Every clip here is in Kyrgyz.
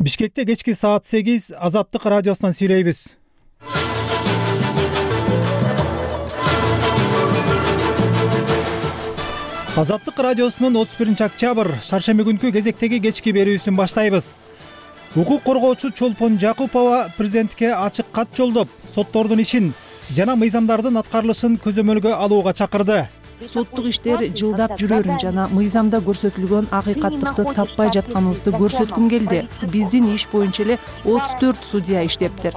Бишкекте кечки саат 8 Азаттык радиосунан сүйлөйбүз. Азаттык радиосунун 31-октябрь шаршемби күнкү кезектеги кечки берүүсүн баштайбыз. Укук коргоочу Чолпон Жакупова президентке ачык кат жолдоп, соттордун ишин жана мыйзамдардын аткарылышын көзөмөлгө алууга чакырды. Соттук иштер жылдап жүрөрүн жана мыйзамда көрсөтүлгөн акыйкаттыкты таппай жатканыбызды көрсөткүм келди. Биздин иш боюнча эле 34 судья иштептир.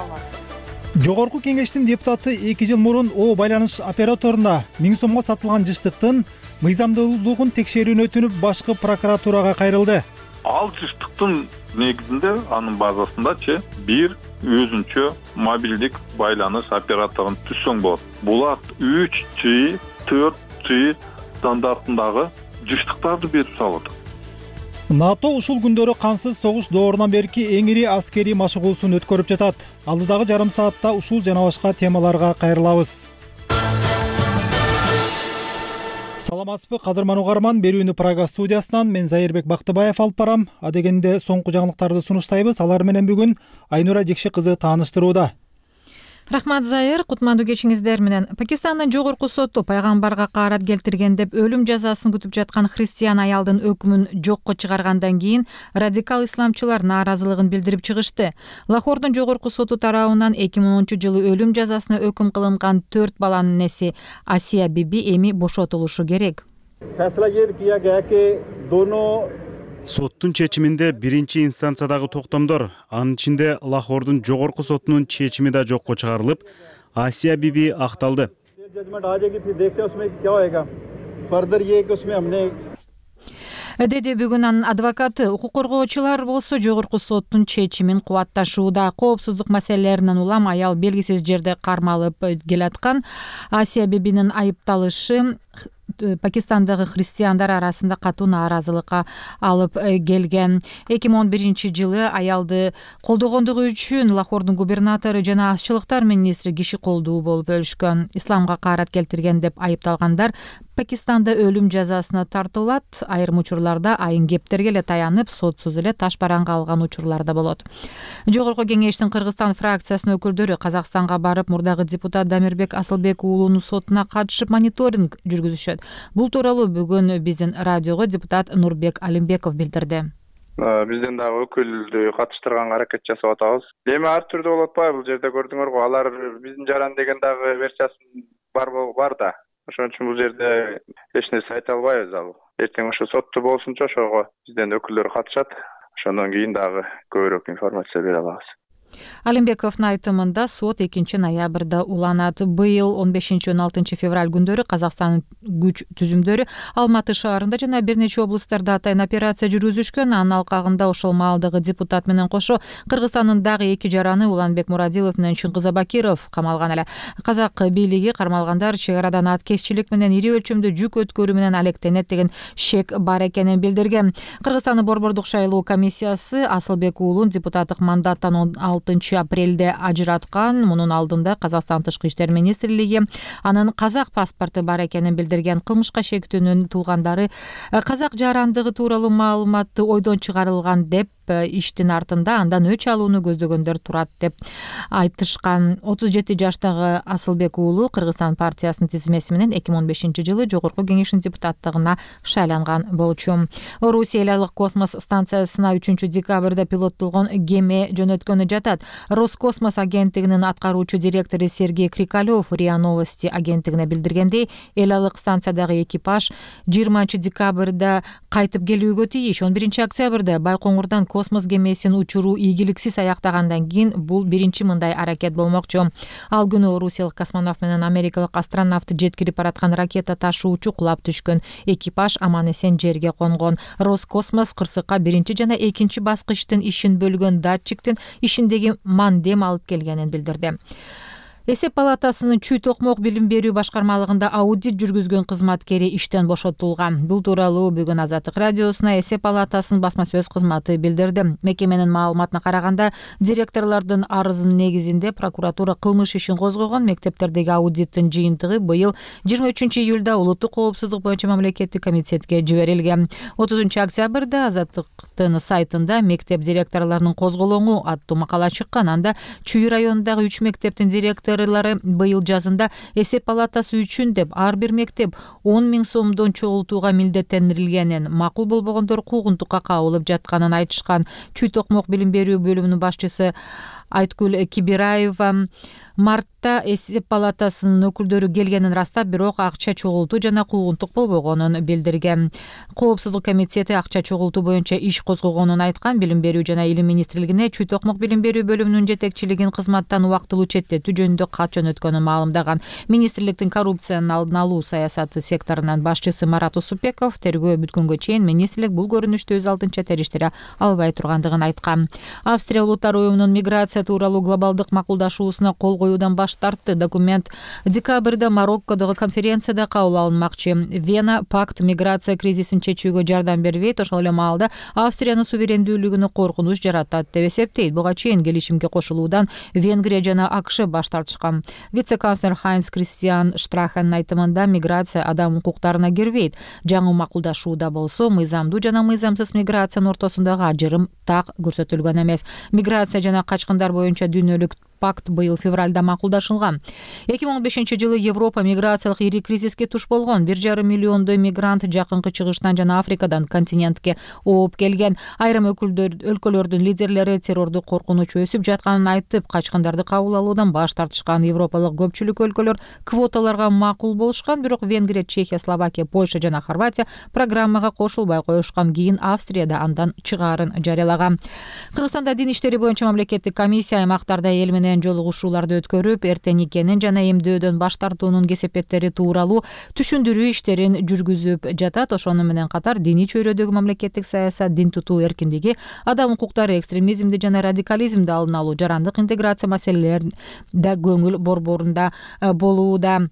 Жогорку кеңештин депутаты 2 жыл мурун О байланыш операторуна 1000 сомго сатылган жыштыктын мыйзамдуулугун текшерүүнү өтүнүп башкы прокуратурага кайрылды. Ал жыштыктын негизинде анын базасында бир өзүнчө мобилдик байланыш операторун түзсөң болот. Булар 3G, 4G стандартындагы жыштыктарды берип салат. НАТО ушул күндөрү кансыз согуш доорунан берки эң ири аскерий машыгуусун өткөрүп жатат. Алдыдагы жарым саатта ушул жана башка темаларга кайрылабыз. Саламатсызбы, кадырман угарман, берүүнү Прага студиясынан мен Зайырбек Бактыбаев алып барам. Адегенде соңку жаңылыктарды сунуштайбыз. Алар менен бүгүн Айнура Жекши кызы тааныштырууда. Рахмат Зайыр, кутмандуу кечиңиздер менен. Пакистандын жогорку соту пайгамбарга каарат келтирген деп өлүм жазасын күтүп жаткан христиан аялдын өкүмүн жокко чыгаргандан кийин радикал исламчылар нааразылыгын билдирип чыгышты. Лахордун жогорку соту тарабынан 2010-жылы өлүм жазасына өкүм кылынган 4 баланын энеси Асия Биби эми бошотулушу керек. Соттун чечиминде биринчи инстанциядагы токтомдор, анын ичинде Лахордун жогорку сотунун чечими да жокко чыгарылып, Асия Биби акталды. Деди бүгүн анын адвокаты. Укук коргоочулар болсо жогорку соттун чечимин кубатташууда. Коопсуздук маселелеринен улам аял белгисиз жерде кармалып келаткан. Асия Бибинин айыпталышы Пакистандагы христиандар арасында катуу нааразылыкка алып келген. 2011-жылы аялды колдогондугу үчүн Лахордун губернатору жана ашчылыктар министри киши колдуу болуп өлүшкөн. Исламга каарат келтирген деп айыпталгандар Пакистанда өлүм жазасына тартылат. Айрым учурларда айын кептерге эле таянып, сотсуз эле таш бараңга алган учурлар да болот. Жогорку кеңештин Кыргызстан фракциясынын өкүлдөрү Казакстанга барып, мурдагы депутат Дамирбек Асылбек уулунун сотуна катышып мониторинг жүргүзүшөт. Бул тууралуу бүгүн биздин радиого депутат Нурбек Алимбеков билдирди. Бизден дагы өкүлдү катыштырганга аракет жасап атабыз. Эми ар түрдүү болуп атпайбы? Бул жерде көрдүңөргү, алар биздин жаран деген дагы версиясы бар да. Ошон үчүн бул жерде эч нерсе айта албайбыз ал. Эртең ошо сотту болсунчу ошого бизден өкүлдөр катышат. Ошондон кийин дагы көбүрөөк информация бере алабыз. Алимбековдун айтымында сот 2-ноябрда уланат. Быйыл 15-16 февраль күндөрү Казакстандын күч түзүмдөрү Алматы шаарында жана бир нече облустарда атайын операция жүргүзүшкөн. Анын алкагында ошол маалдагы депутат менен кошо Кыргызстандын дагы 2 жараны Уланбек Мурадилов менен Чыңгыз Абакиров камалган эле. Казак бийлиги кармалгандар чек арадан аткезчилик менен ири өлчөмдө жүк өткөрүү менен алектенет деген шек бар экенин билдирген. Кыргызстандын борбордук шайлоо комиссиясы Асылбек уулун депутаттык мандаттан 6-апрелде ажыраткан. Мунун алдында Казакстан Тышкы иштер министрлиги анын казак паспорту бар экенин билдирген. Кылмышка шектүүнүн туугандары казак жарандыгы тууралуу маалыматты ойдон чыгарылган деп иштин артында андан өч алууну көздөгөндөр турат деп айтышкан. 37 жаштагы Асылбек уулу Кыргызстан партиясынын тизмеси менен 2015-жылы жогорку кеңештин депутаттыгына шайланган болчу. Орусия Элялык космос станциясына 3-декабрда пилоттолгон кеме жөнөткөнү жатат. Роскосмос агенттигинин аткаруучу директору Сергей Крикалев РИА Новости агенттигине билдиргендей, Элялык станциядагы экипаж 20-декабрда кайтып келүүгө тийиш. 11-октябрда Байкоңурдан космос кемесин учуруу ийгиликсиз аяктагандан кийин бул биринчи мындай аракет болмокчу. Ал күнү орусиялык космонавт менен америкалык астронавт жеткирип бараткан ракета ташуучу кулап түшкөн. Экипаж аман эсен жерге конгон. Роскосмос кырсыкка биринчи жана экинчи баскычтын ишин бөлгөн датчиктин ишиндеги мандем алып келгенин билдирди. Эсеп палатасынын Чүй Токмок билим берүү башкармалыгында аудит жүргүзгөн кызматкери иштен бошотулган. Бул тууралуу бүгүн Азаттык радиосуна Эсеп палатасынын басма сөз кызматы билдирди. Мекеменин маалыматына караганда, директорлордун арызынын негизинде прокуратура кылмыш ишин козгогон. Мектептердеги аудиттин жыйынтыгы быйыл 23-июлда улуттук коопсуздук боюнча мамлекеттик комитетке жиберилген. 30-октябрда Азаттыктын сайтында мектеп директорлорунун козголоңу аттуу макала чыккан. Анда Чүй районундагы 3 мектептин директору быйыл жазында Эсеп палатасы үчүн деп ар бир мектеп 10 000 сомдон чогултууга милдеттендирилгенин, макул болбогондор куугунтукка кабылып жатканын айтышкан. Чүй Токмок билим берүү бөлүмүнүн башчысы Айткүл Кибираева мартта Эсеп палатасынын өкүлдөрү келгенин растап, бирок акча чогултуу жана куугунтук болбогонун билдирген. Коопсуздук комитети акча чогултуу боюнча иш козгогонун айткан. Билим берүү жана илим министрлигине Чүй Токмок билим берүү бөлүмүнүн жетекчилигин кызматтан убактылуу четтетүү жөнүндө кат жөнөткөнүн маалымдаган. Министрликтин коррупциянын алдын алуу саясаты секторунун башчысы Марат Усупбеков тергөө бүткөнгө чейин министрлик бул көрүнүштү өз алдынча териштире албай тургандыгын айткан. Австрия улуттар уюмунун миграция тууралуу глобалдык макулдашуусуна кол коюудан баш тартты. Документ декабрда Мароккодогу конференцияда кабыл алынмакчы. Вена пакт миграция кризисин чечүүгө жардам бербейт, ошол эле маалда Австриянын суверендүүлүгүнө коркунуч жаратат деп эсептейт. Буга чейин келишимге кошулуудан Венгрия жана АКШ баш тартышкан. Вице-канцлер Хайнс Кристиан Штрахенин айтымында миграция адам укуктарына кирбейт. Жаңы макулдашууда болсо мыйзамдуу жана мыйзамсыз миграциянын ортосундагы ажырым так көрсөтүлгөн эмес. Миграция жана качкындар боюнча дүйнөлүк пакт быйыл февралда макулдашылган. 2015-жылы Европа миграциялык ири кризиске туш болгон. 1,5 миллиондой мигрант жакынкы чыгыштан жана Африкадан континентке ооп келген. Айрым өлкөлөрдүн лидерлери террорду коркунуч өсүп жатканын айтып, качкындарды кабыл алуудан баш тартышкан. Европалык көпчүлүк өлкөлөр квоталарга макул болушкан, бирок Венгрия, Чехия, Словакия, Польша жана Хорватия программага кошулбай коюшкан. Кийин Австрияда андан чыгаарын жарыялаган. Кыргызстанда дин иштери боюнча мамлекеттик комиссия аймактарда эл менен жолугушууларды өткөрүп, эрте никенин жана эмдөөдөн баш тартуунун кесепеттери тууралуу түшүндүрүү иштерин жүргүзүп жатат. Ошону менен катар диний чөйрөдөгү мамлекеттик саясат, дин тутуу эркиндиги, адам укуктары, экстремизмди жана радикализмди алдын алуу, жарандык интеграция маселелери да көңүл борборунда болууда.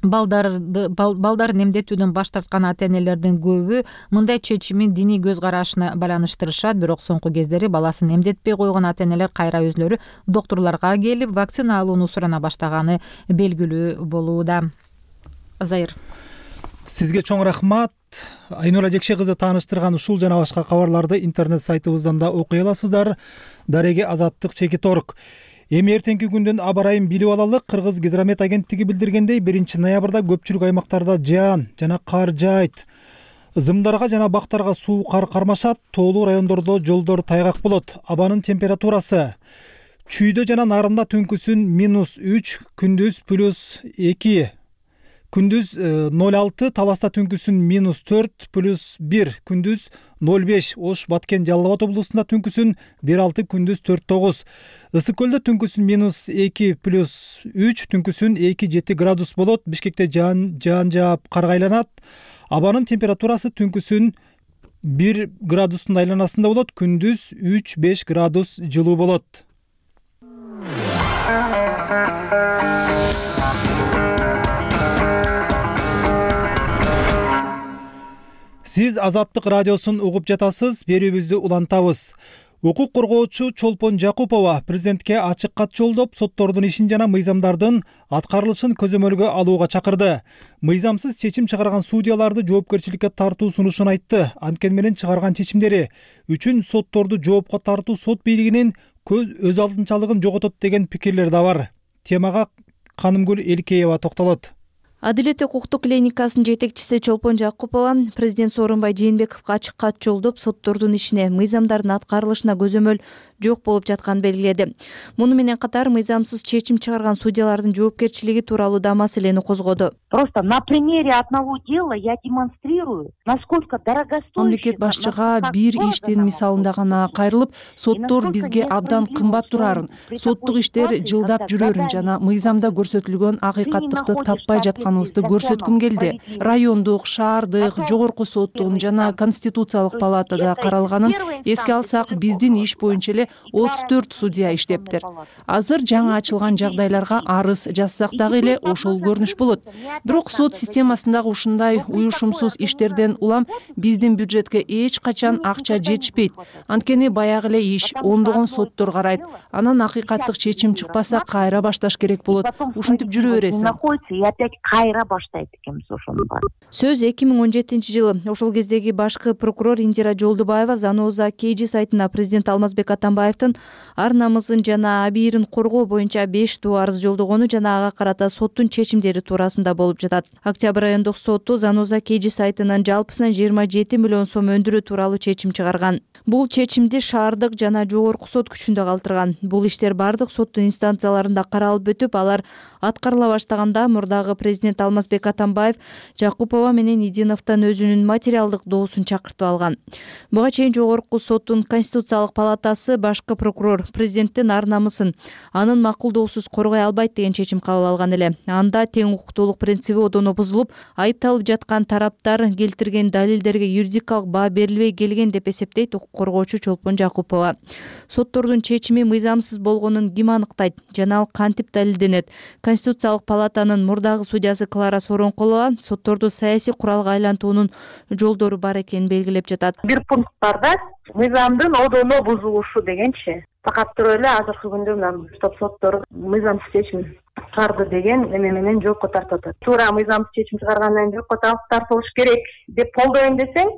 Балдарын эмдетүүдөн баш тарткан ата-энелердин көбү мындай чечимин диний көз карашына байланыштырышат, бирок соңку кездери баласын эмдетпей койгон ата-энелер кайра өзлөрү доктурларга келип вакцина алууну сурана баштаганы белгилүү болууда. Зайыр. Сизге чоң рахмат. Айнура Жекше кызы тааныштырган ушул жана башка кабарларды интернет сайтыбыздан да окуй аласыздар. Дареги Азаттык ЧК.org. Эми эртеңки күндүн аба ырайын билип алалы. Кыргыз гидромет агенттиги билдиргендей, 1-ноябрда көпчүлүк аймактарда жаан жана кар жаайт. Ызымдарга жана бактарга суу кар кармашат. Тоолуу райондордо жолдор тайгак болот. Абанын температурасы Чүйдө жана Нарында түнкүсүн -3, күндүз +2, күндүз 0,6, Таласта түнкүсүн -4, +1, күндүз 0,5, Ош, Баткен, Жалал Абад облусунда түнкүсүн 1,6, күндүз 4,9. Ысык көлдө түнкүсүн -2, +3, түнкүсүн 2,7 градус болот. Бишкекте жаан жаап карга айланат. Абанын температурасы түнкүсүн 1 градустун айланасында болот, күндүз 3-5 градус жылуу болот. Сиз Азаттык радиосун угуп жатасыз. Берүүбүздү улантабыз. Укук коргоочу Чолпон Жакупова президентке ачык кат жолдоп, соттордун ишин жана мыйзамдардын аткарылышын көзөмөлгө алууга чакырды. Мыйзамсыз чечим чыгарган судьяларды жоопкерчиликке тартуу сунушун айтты. Анткени менен чыгарган чечимдери үчүн сотторду жоопко тартуу сот бийлигинин өз алдынчалыгын жоготот деген пикирлер да бар. Темага Канымгүл Элкеева токтолот. Адилет укуктук клиникасынын жетекчиси Чолпон Жакупова президент Сооронбай Жээнбековго ачык кат жолдоп, соттордун ишине, мыйзамдардын аткарылышына көзөмөл жок болуп жатканын белгиледи. Муну менен катар мыйзамсыз чечим чыгарган судьялардын жоопкерчилиги тууралуу да маселени козгоду. Просто на примере одного дела я демонстрирую, насколько дорогостоящий. Мамлекет башчыга бир иштин мисалында гана кайрылып, соттор бизге абдан кымбат турарын, соттук иштер жылдап жүрөрүн жана мыйзамда көрсөтүлгөн акыйкаттыкты таппай жатканын жатканыбызды көрсөткүм келди. Райондук, шаардык, жогорку соттун жана Конституциялык палатада каралганын эске алсак, биздин иш боюнча эле 34 судья иштептир. Азыр жаңы ачылган жагдайларга арыз жазсак дагы эле ошол көрүнүш болот. Бирок сот системасындагы ушундай уюшумсуз иштерден улам биздин бюджетке эч качан акча жетишпейт. Анткени баягы эле иш ондогон соттор карайт. Анан акыйкаттык чечим чыкпаса кайра башташ керек болот. Ушинтип жүрө бересиң. Находится и опять кайра баштайт экенбиз ошону бар. Сөз 2017-жылы ошол кездеги башкы прокурор Индира Жолдубаева Заноза KG сайтына президент Алмазбек Атамбаевдин ар намысын жана абийирин коргоо боюнча 5 туу арыз жолдогону жана ага карата соттун чечимдери туурасында болуп жатат. Октябрь айындык соту Заноза KG сайтынан жалпысынан 27 миллион сом өндүрүү тууралуу чечим чыгарган. Бул чечимди шаардык жана жогорку сот күчүндө калтырган. Бул иштер бардык соттун инстанцияларында каралып өтүп, алар аткарыла баштаганда мурдагы президент Алмазбек Атамбаев Жакупова менен Идиновдон өзүнүн материалдык доосун чакыртып алган. Буга чейин жогорку соттун Конституциялык палатасы башкы прокурор президенттин ар намысын анын макулдоосуз коргой албайт деген чечим кабыл алган эле. Анда тең укуктуулук принциби одоно бузулуп, айыпталып жаткан тараптар келтирген далилдерге юридикалык баа берилбей келген деп эсептейт укук коргоочу Чолпон Жакупова. Соттордун чечими мыйзамсыз болгонун ким аныктайт жана ал кантип далилденет? Конституциялык палатанын мурдагы судьясы Клара Соронкулова сотторду саясий куралга айлантуунун жолдору бар экенин белгилеп жатат. Бир пункт бар да, мыйзамдын одоно бузулушу дегенчи. Факат туруп эле азыркы күндө мына соттор мыйзамсыз чечим чыгарды деген эме менен жоопко тартып атат. Туура мыйзамсыз чечим чыгаргандан кийин жоопко тартылыш керек деп колдойм десең,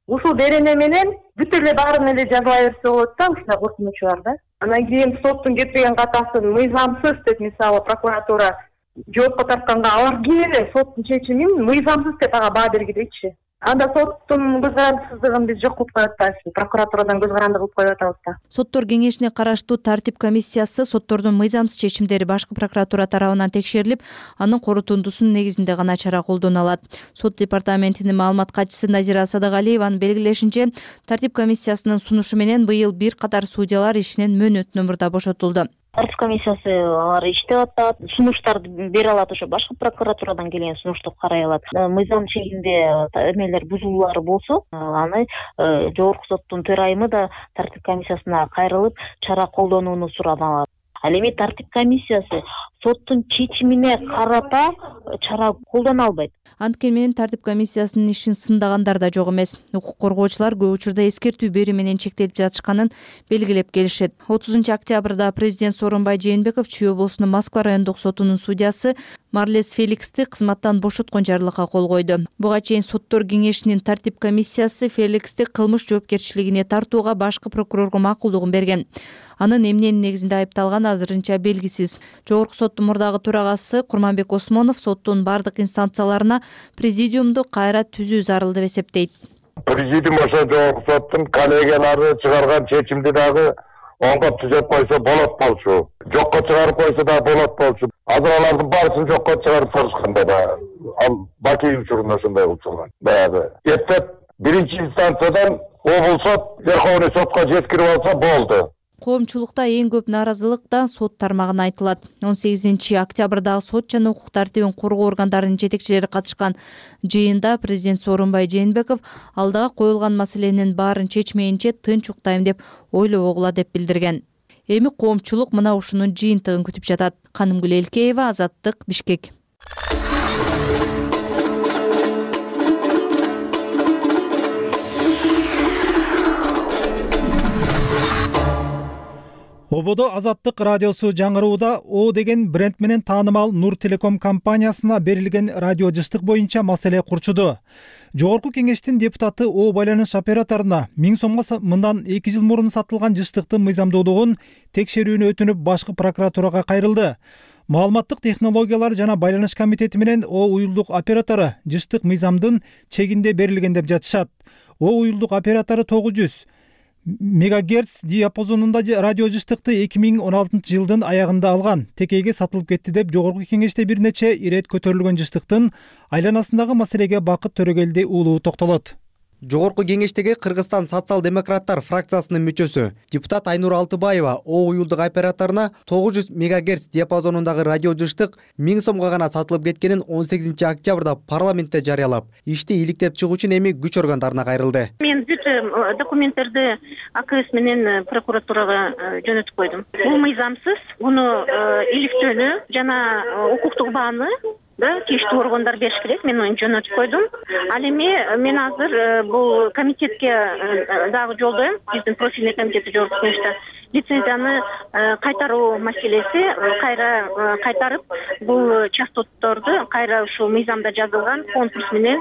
ушул берене менен бүт эле баарын эле жазыла берсе болот да, ушундай коркунучу бар да. Анан кийин соттун кетпеген катасын мыйзамсыз деп мисалы прокуратура жоопко тартканда алар ким эле соттун чечимин мыйзамсыз деп ага баа бергидейчи. Анда соттун көз карандысыздыгын биз жок кылып коюп атабыз, прокуратурадан көз каранды кылып коюп атабыз да. Соттор кеңешине караштуу тартип комиссиясы соттордун мыйзамсыз чечимдери башкы прокуратура тарабынан текшерилип, анын корутундусунун негизинде гана чара колдоно алат. Сот департаментинин маалымат катчысы Назира Садыгалиеванын белгилешинче, тартип комиссиясынын сунушу менен быйыл бир катар судьялар ишинен мөөнөт номурда бошотулду. Тартип комиссиясы алар иштеп атат, сунуштарды бере алат, ошо башкы прокуратурадан келген сунушту карай алат. Мыйзам чегинде эмелер бузулуулар болсо, аны жогорку соттун төрайымы да тартип комиссиясына кайрылып, чара колдонууну сурап алат. Ал эми тартип комиссиясы соттун чечимине карата чара колдоно албайт. Анткени менен тартип комиссиясынын ишин сындагандар да жок эмес. Укук коргоочулар көп учурда эскертүү берүү менен чектелип жатышканын белгилеп келишет. 30 октябрда президент Сооронбай Жээнбеков Чүй облусунун Москва райондук сотунун судьясы Марлес Феликсти кызматтан бошоткон жарлыкка кол койду. Буга чейин соттор кеңешинин тартип комиссиясы Феликсти кылмыш жоопкерчилигине тартууга башкы прокурорго макулдугун берген. Анын эмненин негизинде айыпталганы азырынча белгисиз. Жогорку соттун мурдагы төрагасы Курманбек Осмонов соттун бардык инстанцияларына президиумду кайра түзүү зарыл деп эсептейт. Президиум ошо жогорку соттун коллегиялары чыгарган чечимди дагы онго түзөп койсо болот болчу. Жокко чыгарып койсо да болот болчу. Азыр алардын баарысын жокко чыгарып салышканда да ал Бакиев учурунда ошондой болчу. Баягы эптеп биринчи инстанциядан облус сот Верховный сотко жеткирип алса болду. Коомчулукта эң көп нааразылык да сот тармагына айтылат. 18 октябрдагы сот жана укук тартибин коргоо органдарынын жетекчилери катышкан жыйында президент Сооронбай Жээнбеков алдыга коюлган маселенин баарын чечмейинче тынч уктайм деп ойлобогула деп билдирген. Эми коомчулук мына ушунун жыйынтыгын күтүп жатат. Канымгүл Элкеева, Азаттык, Бишкек. Ободо Азаттык радиосу жаңырууда О деген бренд менен таанымал Нур Телеком компаниясына берилген радио жыштык боюнча маселе курчуду. Жогорку кеңештин депутаты О байланыш операторуна 1000 сомго мындан 2 жыл мурун сатылган жыштыктын мыйзамдуулугун текшерүүнү өтүнүп башкы прокуратурага кайрылды. Маалыматтык технологиялар жана байланыш комитети менен О уюлдук оператору жыштык мыйзамдын чегинде берилген деп жатышат. О уюлдук оператору 900 мегагерц диапазонунда радио жыштыкты 2016 жылдын аягында алган. Текейге сатылып кетти деп жогорку кеңеште бир нече ирет көтөрүлгөн жыштыктын айланасындагы маселеге Бакыт Төрөгелди уулу токтолот. Жогорку кеңештеги Кыргызстан социал-демократтар фракциясынын мүчөсү депутат Айнур Алтыбаева О уюлдук операторуна 900 мегагерц диапазонундагы радио жыштык 1000 сомго гана сатылып кеткенин 18 октябрда парламентте жарыялап, ишти иликтеп чыгуу үчүн эми күч органдарына кайрылды. Мен бүт документтерди АКС менен прокуратурага жөнөтүп койдум. Бул мыйзамсыз, муну иликтөөнү жана укуктук бааны тийиштүү органдар бериш керек. Мен ону жөнөтүп койдум. Ал эми мен азыр бул комитетке дагы жолдойм. Биздин профильный комитети жогорку кеңеште лицензияны кайтаруу маселеси, кайра кайтарып, бул частотторду кайра ушул мыйзамда жазылган конкурс менен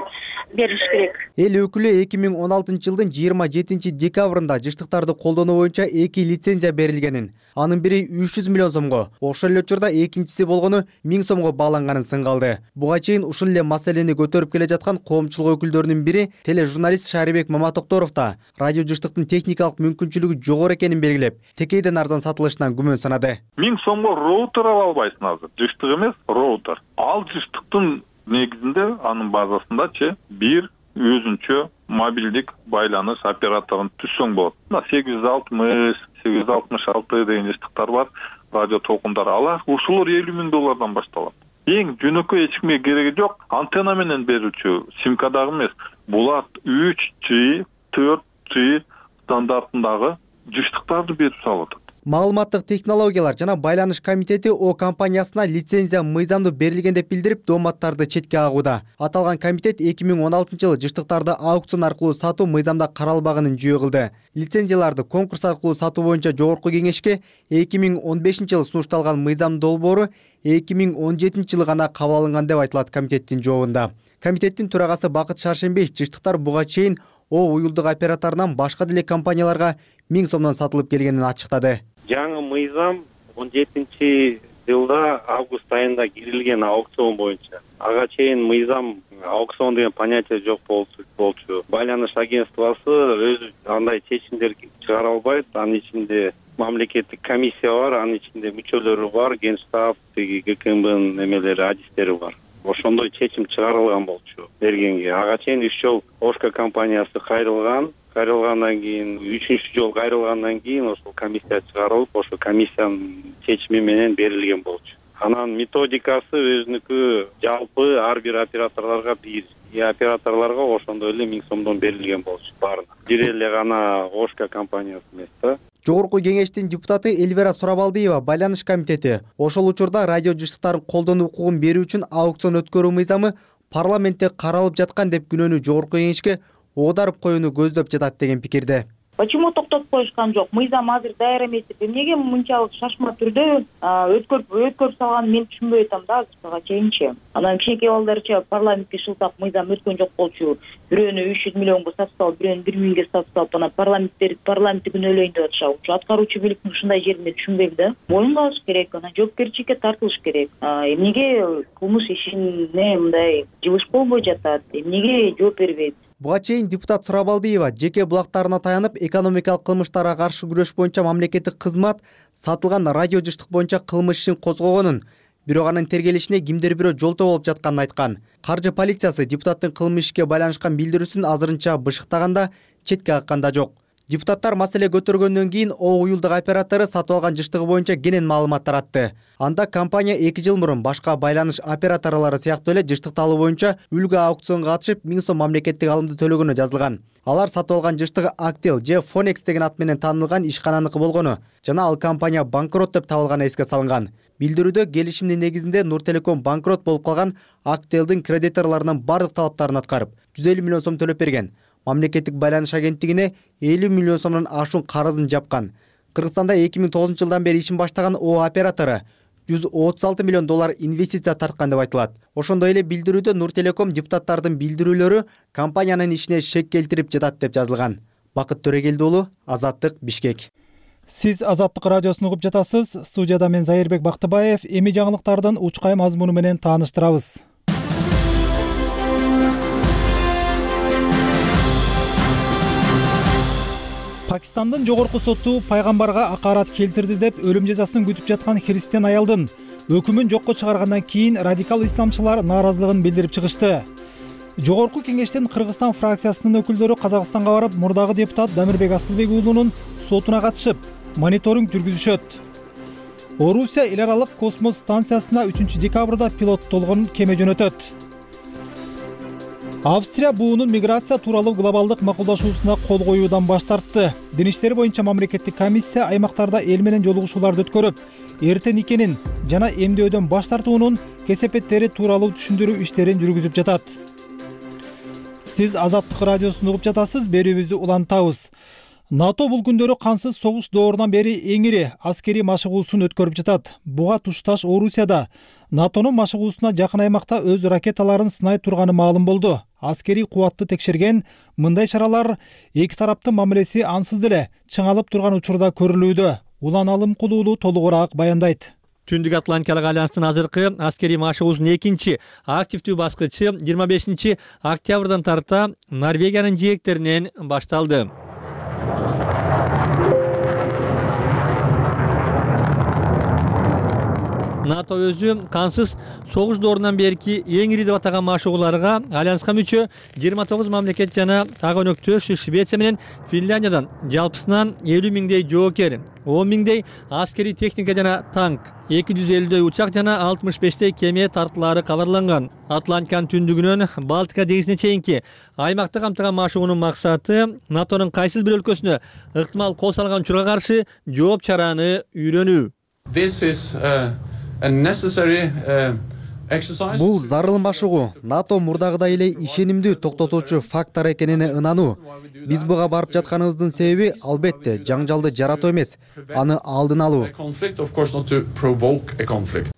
бериш керек. Эл өкүлү 2016 жылдын 27 декабрында жыштыктарды колдонуу боюнча 2 лицензия берилгенин, анын бири 300 миллион сомго, ошол эле учурда экинчиси болгону 1000 сомго бааланганын сынгалды. Буга чейин ушул эле маселени көтөрүп келе жаткан коомчулук өкүлдөрүнүн бири тележурналист Шарибек Маматокторов да радио жыштыктын техникалык мүмкүнчүлүгү жогору экенин белгилеп, текейден арзан сатылышынан күмөн санады. 1000 сомго роутер ала албайсың азыр. Жыштык эмес, роутер. Ал жыштыктын негизинде анын базасындачы бир өзүнчө мобилдик байланыш операторун түзсөң болот. 860, 866 деген жыштыктар бар, радио толкундар. Алар ушулар $50,000 башталат. Эң жөнөкөй эч кимге кереги жок. Антенна менен берүүчү симка дагы эмес. Булар 3G, 4G стандартындагы жыштыктарды берип салат. Маалыматтык технологиялар жана байланыш комитети О компаниясына лицензия мыйзамдуу берилген деп билдирип, дооматтарды четке агууда. Аталган комитет 2016 жылы жыштыктарды аукцион аркылуу сатуу мыйзамда каралбаганын жүйө кылды. Лицензияларды конкурс аркылуу сатуу боюнча жогорку кеңешке 2015 жылы сунушталган мыйзам долбоору 2017 жылы гана кабыл алынган деп айтылат комитеттин жообунда. Комитеттин төрагасы Бакыт Шаршембиев жыштыктар буга чейин О уюлдук операторунан башка деле компанияларга 1000 сомдон сатылып келгенин ачыктады. Жаңы мыйзам 17 жылда август айында кирилген аукцион боюнча. Ага чейин мыйзам аукцион деген понятие жок болчу. Байланыш агентствосы өзү андай чечимдер чыгара албайт. Анын ичинде мамлекеттик комиссия бар, анын ичинде мүчөлөрү бар, Генштаб, ГКМБнын эмелери, адистери бар. Ошондой чечим чыгарылган болчу бергенге. Ага чейин 3 жол Ошка компаниясы кайрылгандан кийин, 3-чү жол кайрылгандан кийин ошол комиссия чыгарылып, ошол комиссиянын чечими менен берилген болчу. Анан методикасы өзүнүкү жалпы ар бир операторлорго бир. Операторлорго ошондой эле 1000 сомдон берилген болчу баарына. Бир эле гана Ошка компаниясы эмес да. Жогорку кеңештин депутаты Эльвира Сурабалдиева байланыш комитети ошол учурда радио жыштыктарын колдонуу укугун берүү үчүн аукцион өткөрүү мыйзамы парламентте каралып жаткан деп күнөөнү жогорку кеңешке оодарып коюуну көздөп жатат деген пикирде. Почему токтотуп коюшкан жок? Мыйзам азыр даяр эмес деп эмнеге мынчалык шашма түрдө өткөрүп салганын мен түшүнбөй атам да азыркыга чейинчи. Анан кичинекей балдарча парламентке шылтап мыйзам өткөн жок болчу. Бирөөнү 300 миллионго сатып салып, бирөөнү 1 миңге сатып салып, анан парламентти күнөөлөйүн деп атышат. Аткаруучу бийликтин ушундай жеринде түшүнбөйм да. Боюн калыш керек, анан жоопкерчиликке тартылыш керек. Эмнеге кылмыш ишине мындай жылыш болбой жатат? Эмнеге жооп бербейт? Буга чейин депутат Сурабалдиева жеке булактарына таянып, экономикалык кылмыштарга каршы күрөш боюнча мамлекеттик кызмат сатылган радио жыштык боюнча кылмыш ишин козгогонун, бирок анын тергелишине кимдир бирөө жолтоо болуп жатканын айткан. Каржы полициясы депутаттын кылмыш ишке байланышкан билдирүүсүн азырынча бышыктаганда, четке какканда жок. Депутаттар маселе көтөргөндөн кийин О уюлдук оператору сатып алган жыштыгы боюнча кенен маалымат таратты. Анда компания 2 жыл мурун башка байланыш операторлору сыяктуу эле жыштыкты алуу боюнча үлгү аукционго катышып 1000 сом мамлекеттик алымды төлөгөнү жазылган. Алар сатып алган жыштыгы Actel же Phonex деген ат менен таанылган ишкананыкы болгону жана ал компания банкрот деп табылганы эске салынган. Билдирүүдө келишимдин негизинде Нуртелеком банкрот болуп калган Actelдин кредиторлорунун бардык талаптарын аткарып, 150 миллион сом төлөп берген. Мамлекеттик байланыш агенттигине 50 миллион сомдон ашуун карызын жапкан. Кыргызстанда 2009 жылдан бери ишин баштаган О оператору $136 миллион инвестиция тарткан деп айтылат. Ошондой эле билдирүүдө Нуртелеком депутаттардын билдирүүлөрү компаниянын ишине шек келтирип жатат деп жазылган. Бакыт Төрөгелди уулу, Азаттык, Бишкек. Сиз Азаттык радиосун угуп жатасыз. Студияда мен Зайырбек Бактыбаев. Эми жаңылыктардын учкай мазмуну менен тааныштырабыз. Пакистандын жогорку соту пайгамбарга акарат келтирди деп өлүм жазасын күтүп жаткан христиан аялдын өкүмүн жокко чыгаргандан кийин радикал исламчылар нааразылыгын билдирип чыгышты. Жогорку кеңештин Кыргызстан фракциясынын өкүлдөрү Казакстанга барып, мурдагы депутат Дамирбек Асылбек уулунун сотуна катышып, мониторинг жүргүзүшөт. Орусия эл аралык космос станциясына 3 декабрда пилоттолгон кеме жөнөтөт. Австрия буунун миграция тууралуу глобалдык макулдашуусуна кол коюудан баш тартты. Дин иштери боюнча мамлекеттик комиссия аймактарда эл менен жолугушууларды өткөрүп, эртен никенин жана эмдөөдөн баш тартуунун кесепеттери тууралуу түшүндүрүү иштерин жүргүзүп жатат. Сиз Азаттык радиосун угуп жатасыз, берүүбүздү улантабыз. НАТО бул күндөрү кансыз согуш доорунан бери эң ири аскерий машыгуусун өткөрүп жатат. Буга тушташ Орусияда НАТОнун машыгуусуна жакын аймакта өз ракеталарын сынай турганы маалым болду. Аскерий кубатты текшерген мындай чаралар эки тараптын мамилеси ансыз деле чыңалып турган учурда көрүлүүдө. Улан Алымкулуулу толугураак баяндайт. Түндүк Атлантикалык альянстын азыркы аскерий машыгуусунун экинчи активдүү баскычы 25 октябрдан тарта Норвегиянын жээктеринен башталды. НАТО өзү кансыз согуш доорунан берки эң ири деп атаган машыгууларга альянска мүчө 29 мамлекет жана ага өнөктөш Швеция менен Финляндиядан жалпысынан 50 миңдей жоокер, 10 миңдей аскерий техника жана танк, 250дөй учак жана 65 кеме тартылаары кабарланган. Атлантиканын түндүгүнөн Балтика деңизине чейинки аймакты камтыган машыгуунун максаты НАТОнун кайсыл бир өлкөсүнө ыктымал кол салган учурга каршы жооп чараны үйрөнүү. Бул зарыл машыгуу НАТО мурдагыдай эле ишенимдүү токтотуучу фактор экенине ынануу. Биз буга барып жатканыбыздын себеби албетте жаңжалды жаратуу эмес, аны алдын алуу.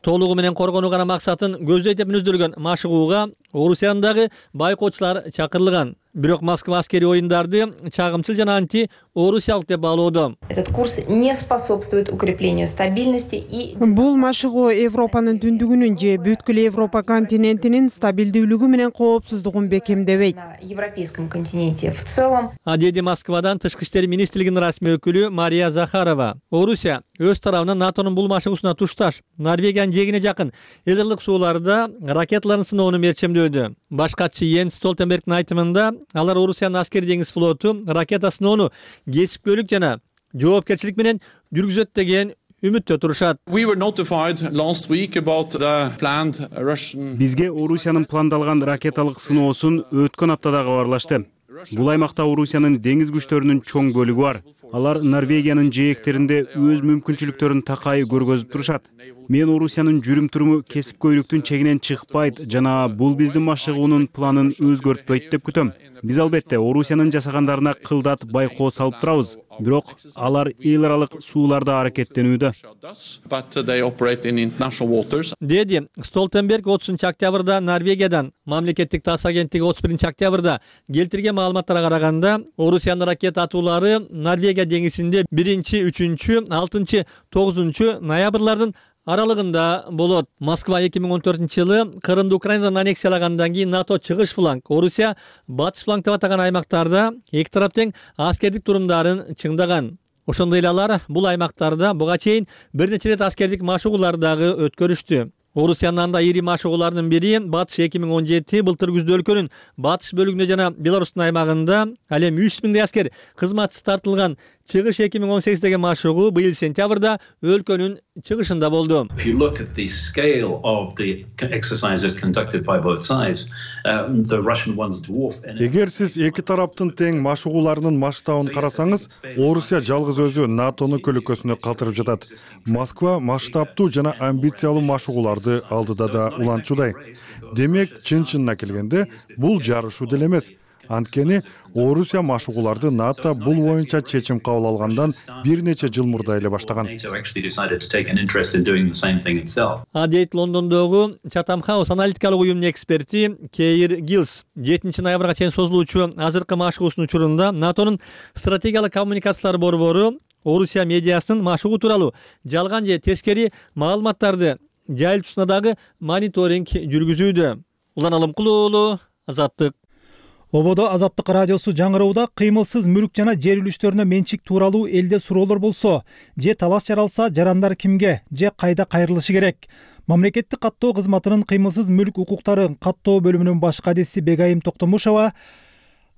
Толугу менен коргонуу гана максатын көздөйт деп мүнөздөлгөн машыгууга Орусиянын дагы байкоочулар чакырылган. Бирок Москва аскерий оюндарды чагымчыл жана анти орусиялык деп баалоодо. Этот курс не способствует укреплению стабильности и Бул машыгуу Европанын түндүгүнүн же бүткүл Европа континентинин стабилдүүлүгү менен коопсуздугун бекемдебейт. на европейском континенте в целом. Деди Москвадан тышкы иштер министрлигинин расмий өкүлү Мария Захарова. Орусия өз тарабынан НАТОнун бул машыгуусуна тушташ Норвегиянын жээгине жакын эл аралык сууларда ракеталарын сыноону мерчемдөөдө. Баш катчы Йенс Столтенбергдин айтымында алар Орусиянын аскери деңиз флоту ракета сыноону кесипкөйлүк жана жоопкерчилик менен жүргүзөт деген үмүттө турушат. Бизге Орусиянын пландалган ракеталык сыноосун өткөн аптада кабарлашты. Бул аймакта Орусиянын деңиз күчтөрүнүн чоң бөлүгү бар. Алар Норвегиянын жээктеринде өз мүмкүнчүлүктөрүн такай көргөзүп турушат. Мен Орусиянын жүрүм-туруму кесипкөйлүктүн чегинен чыкпайт жана бул биздин машыгуунун планын өзгөртпөйт деп күтөм. Биз албетте Орусиянын жасагандарына кылдат байкоо салып турабыз. Бирок алар эл аралык сууларда аракеттенүүдө. Деди Столтенберг 30 октябрда Норвегиядан, мамлекеттик тасс агенттиги 31 октябрда келтирген маалыматтарга караганда, Орусиянын ракета атуулары Норвегия деңизинде 1, 3, 6, 9 ноябрлардын аралыгында болот. Москва 2014-жылы Крымды Украинадан аннексиялагандан кийин НАТО чыгыш фланг, Орусия батыш фланг деп атаган аймактарда эки тарап тең аскердик турумдарын чыңдаган. Ошондой эле алар бул аймактарда буга чейин бир нече рет аскердик машыгууларды дагы өткөрүштү. Орусиянын анда ири машыгууларынын бири батыш 2017 былтыр күздө өлкөнүн батыш бөлүгүндө жана Беларустун аймагында ал эми 3 миңдей аскер кызматсыз тартылган чыгыш 2018 деген машыгуу быйыл сентябрда өлкөнүн чыгышында болду. Эгер сиз эки тараптын тең машыгууларынын масштабын карасаңыз, Орусия жалгыз өзү НАТОнун көлөкөсүнө калтырып жатат. Москва масштабтуу жана амбициялуу машыгууларды алдыда да улантчудай. Демек, чын-чынына келгенде, бул жарышуу деле эмес. Анткени Орусия машыгууларды НАТО бул боюнча чечим кабыл алгандан бир нече жыл мурда эле баштаган. Дейт Лондондогу Chatham House аналитикалык уюмунун эксперти Кейр Гилс 7 ноябрга чейин созулуучу азыркы машыгуусунун учурунда НАТОнун стратегиялык коммуникациялар борбору Орусия медиасынын машыгуу тууралуу жалган же тескери маалыматтарды жайылтуусуна дагы мониторинг жүргүзүүдө. Улан Алымкулуулу, Азаттык. Ободо Азаттык радиосу жаңыроодо кыймылсыз мүлк жана жер үлүштөрүнө менчик тууралуу элде суроолор болсо, же талаш жаралса жарандар кимге же кайда кайрылышы керек? Мамлекеттик каттоо кызматынын кыймылсыз мүлк укуктарын каттоо бөлүмүнүн баш кадиси Бегайым Токтомушова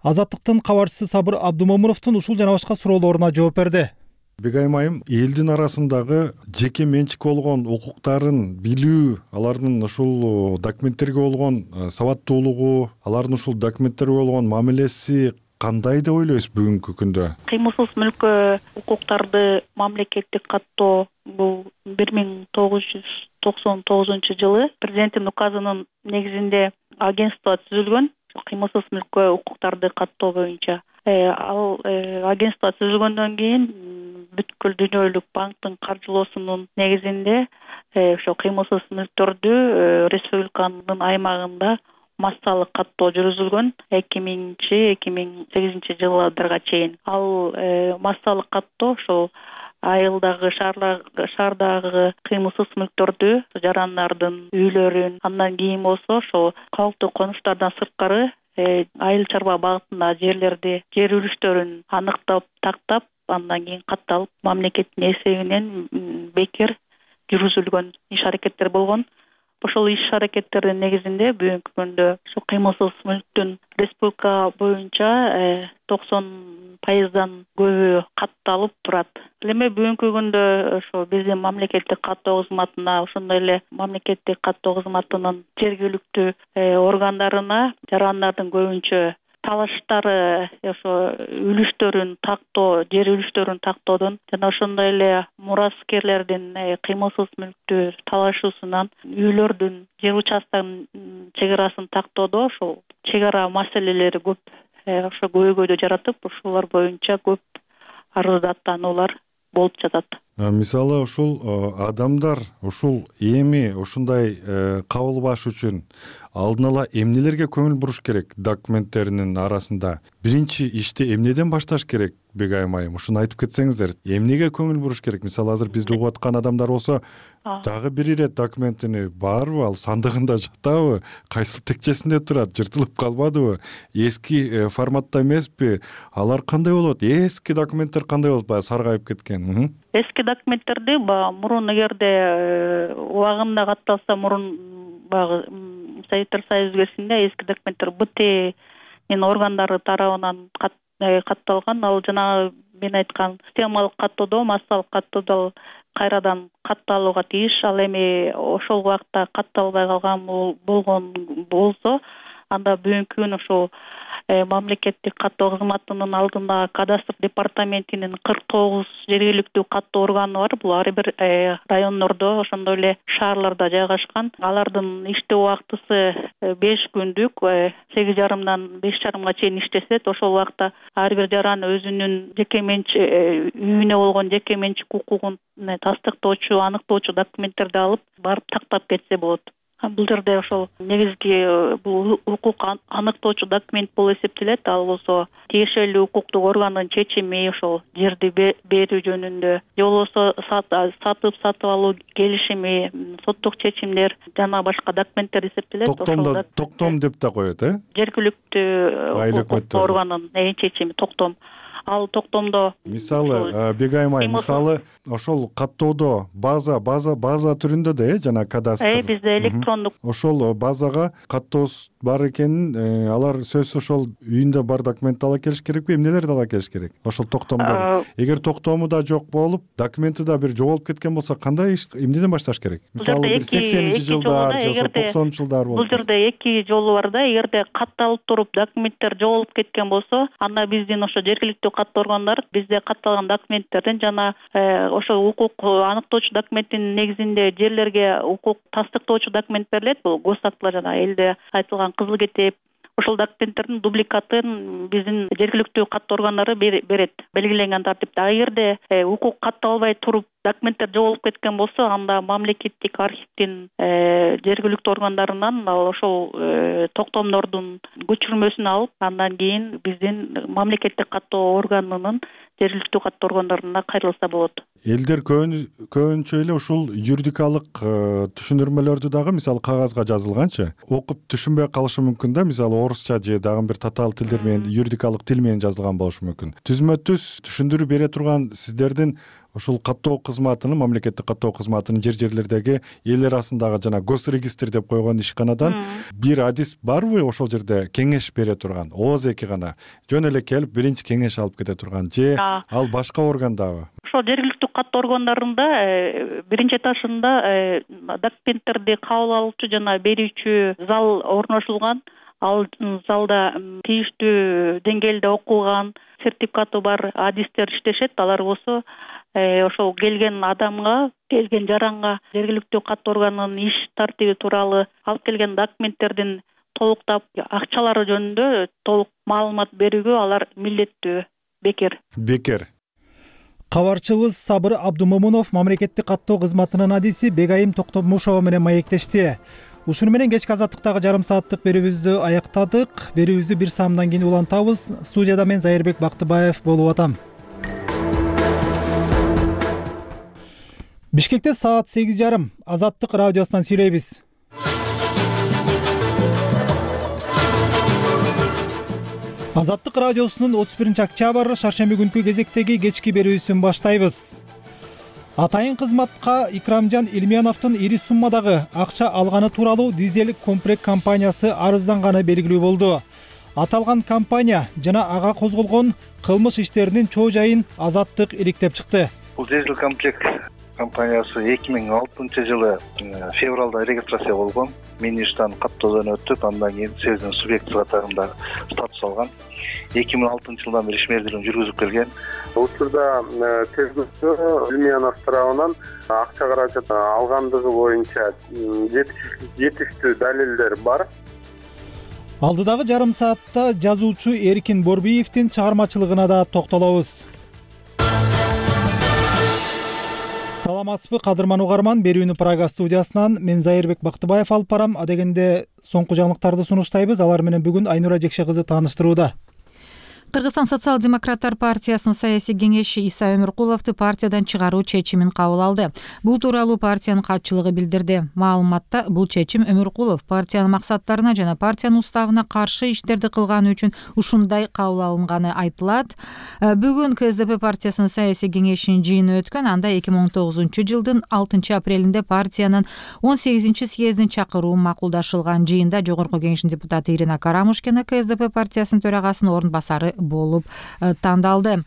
Азаттыктын кабарчысы Сабыр Абдумомуновдун ушул жана башка суроолоруна жооп берди. Бегайым айым, элдин арасындагы жеке менчик болгон укуктарын билүү, алардын ушул документтерге болгон сабаттуулугу, алардын ушул документтерге болгон мамилеси кандай деп ойлойсуз бүгүнкү күндө? Кыймылсыз мүлккө укуктарды мамлекеттик каттоо бул 1999 жылы президенттин указынын негизинде агентство түзүлгөн. Кыймылсыз мүлккө укуктарды каттоо боюнча ал агентство түзүлгөндөн кийин бүткүл дүйнөлүк банктын каржылоосунун негизинде ошо кыймылсыз мүлктөрдү республиканын аймагында массалык каттоо жүргүзүлгөн 2000-2008 жылдарга чейин. Ал массалык каттоо ошол айылдагы шаардагы кыймылсыз мүлктөрдү, жарандардын үйлөрүн, андан кийин болсо ошол калктуу конуштардан сырткары айыл чарба багытында жерлерди, жер үлүштөрүн аныктап, тактап, андан кийин катталып, мамлекеттин эсебинен бекер жүргүзүлгөн иш-аракеттер болгон. Ошол иш-аракеттердин негизинде бүгүнкү күндө ошо кыймылсыз мүлктүн республика боюнча 90% көбү катталып турат. Эми бүгүнкү күндө ошо биздин мамлекеттик каттоо кызматына, ошондой эле мамлекеттик каттоо кызматынын жергиликтүү органдарына жарандардын көбүнчө талаштары ошо үлүштөрүн тактоо, жер үлүштөрүн тактоодон жана ошондой эле мураскерлердин кыймылсыз мүлктү талашуусунан үйлөрдүн, жер участканын чегарасын тактоодо ошол чегара маселелери көп ошо көйгөйдү жаратып, ушулар боюнча көп арыздаттануулар болуп жатат. Мисалы ушул адамдар ушул эми ушундай кабылбаш үчүн алдын ала эмнелерге көңүл буруш керек документтеринин арасында? Биринчи ишти эмнеден башташ керек, Бегайым айым? Ушуну айтып кетсеңиздер. Эмнеге көңүл буруш керек? Мисалы азыр бизди угуп аткан адамдар болсо, дагы бир ирет документини барбы, ал сандыгында жатабы, кайсыл текчесинде турат, жыртылып калбадыбы, эски форматта эмеспи? Алар кандай болот? Эски документтер кандай болот, баягы саргайып кеткен? Эски документтерди мурун эгерде убагында катталса, мурун баягы Советтер Союзу кезинде эски документтер БТ органдары тарабынан катталган. Ал жана мен айткан системалык каттоодо, массалык каттоодо кайрадан катталууга тийиш. Ал эми ошол убакта катталбай калган болгон болсо, анда бүгүнкү күн ошол мамлекеттик каттоо кызматынын алдында кадастр департаментинин 49 жергиликтүү каттоо органы бар. Бул ар бир райондордо, ошондой эле шаарларда жайгашкан. Алардын иштөө убактысы 5 күндүк, 8:30-дан 5:30-га чейин иштешет. Ошол убакта ар бир жаран өзүнүн жеке менчик үйүнө болгон жеке менчик укугун тастыктоочу, аныктоочу документтерди алып барып тактап кетсе болот. Бул жерде ошол негизги бул укук аныктоочу документ болуп эсептелет. Ал болсо тиешелүү укуктук органдын чечими ошол жерди берүү жөнүндө, же болбосо сатып алуу келишими, соттук чечимдер жана башка документтер эсептелет. Токтом деп да коет, жергиликтүү укук органынын чечими токтом. Ал токтомдо мисалы Бегайым айым, мисалы ошол каттоодо база түрүндө да жана кадастр. Бизде электрондук. Ошол базага каттоос бар экенин, алар сөзсүз ошол үйүндө бар документти ала келиш керекпи, эмнелерди ала келиш керек? Ошол токтомдор. Эгер токтому да жок болуп, документи да бир жоголуп кеткен болсо, кандай эмнеден башташ керек? Мисалы бир 80-жылдар же 90-жылдар болуп. Бул жерде эки жолу бар да. Эгерде катталып туруп документтер жоголуп кеткен болсо, анда биздин ошо жергиликтүү каттоо органдар бизде катталган документтердин жана ошо укук аныктоочу документтин негизинде жерлерге укук тастыктоочу документ берилет. Бул госактылар жана элде айтылган кызыл китеп, ошол документтердин дубликатын биздин жергиликтүү каттоо органдары берет белгиленген тартипте. Эгерде укук катталбай туруп документтер жоголуп кеткен болсо, анда мамлекеттик архивдин жергиликтүү органдарынан ошол токтомдордун көчүрмөсүн алып, андан кийин биздин мамлекеттик каттоо органынын жергиликтүү каттоо органдарына кайрылса болот. Элдер көбүнчө эле ушул юридикалык түшүндүрмөлөрдү дагы, мисалы кагазга жазылганчы, окуп түшүнбөй калышы мүмкүн да. Мисалы орусча же дагы бир татаал тилдер менен, юридикалык тил менен жазылган болушу мүмкүн. Түзмө түз түшүндүрүү бере турган сиздердин ушул каттоо кызматынын, мамлекеттик каттоо кызматынын жерлердеги эл арасындагы жана госрегистр деп койгон ишканадан бир адис барбы ошол жерде кеңеш бере турган? Ооз эки гана жөн эле келип биринчи кеңеш алып кете турган же ал башка органдабы? Ошол жергиликтүү каттоо органдарында биринчи этажында документтерди кабыл алуучу жана берүүчү зал орношулган. Ал залда тийиштүү деңгээлде окулган, сертификаты бар адистер иштешет. Алар болсо ошол келген адамга, келген жаранга жергиликтүү каттоо органынын иш тартиби тууралуу алып келген документтердин толуктап, акчалары жөнүндө толук маалымат берүүгө алар милдеттүү. Бекер. Кабарчыбыз Сабыр Абдумомунов мамлекеттик каттоо кызматынын адиси Бегайым Токтомушова менен маектешти. Ушуну менен кечки азаттыктагы жарым сааттык берүүбүздү аяктадык. Берүүбүздү бир саамдан кийин улантабыз. Студияда мен Зайырбек Бактыбаев болуп атам. Бишкекте саат 8:30. Азаттык радиосунан сүйлөйбүз. Азаттык радиосунун 31 октябрь шаршемби күнкү кезектеги кечки берүүсүн баштайбыз. Атайын кызматка Икрамжан Илмияновдун ири суммадагы акча алганы тууралуу дизель комплект компаниясы арызданганы белгилүү болду. Аталган компания жана ага козголгон кылмыш иштеринин чоо жайын Азаттык иликтеп чыкты. Бул дизель комплект компаниясы 2006 жылы февралда регистрация болгон. Мен иштен каттоодон өтүп, андан кийин сезин субъекти катарында статус алган. 2006 жылдан бери ишмердүүлүгүн жүргүзүп келген. Учурда тергөөчү Илмиянов тарабынан акча каражат алгандыгы боюнча жетиштүү далилдер бар. Алдыдагы жарым саатта жазуучу Эркин Борбиевдин чыгармачылыгына да токтолобуз. Саламатсызбы кадырман угарман, берүүнү Прага студиясынан мен Зайырбек Бактыбаев алып барам. Адегенде соңку жаңылыктарды сунуштайбыз. Алар менен бүгүн Айнура Жекше кызы тааныштырууда. Кыргызстан социал-демократтар партиясынын саясий кеңеши Иса Өмүркуловду партиядан чыгаруу чечимин кабыл алды. Бул тууралуу партиянын катчылыгы билдирди. Маалыматта бул чечим Өмүркулов партиянын максаттарына жана партиянын уставына каршы иштерди кылганы үчүн ушундай кабыл алынганы айтылат. Бүгүн КСДП партиясынын саясий кеңешинин жыйыны өткөн. Анда 2009 жылдын 6 апрелинде партиянын 18 съездин чакыруу макулдашылган. Жыйында жогорку кеңештин депутаты Ирина Карамушкина КСДП партиясынын төрагасынын орун басары болуп тандалды.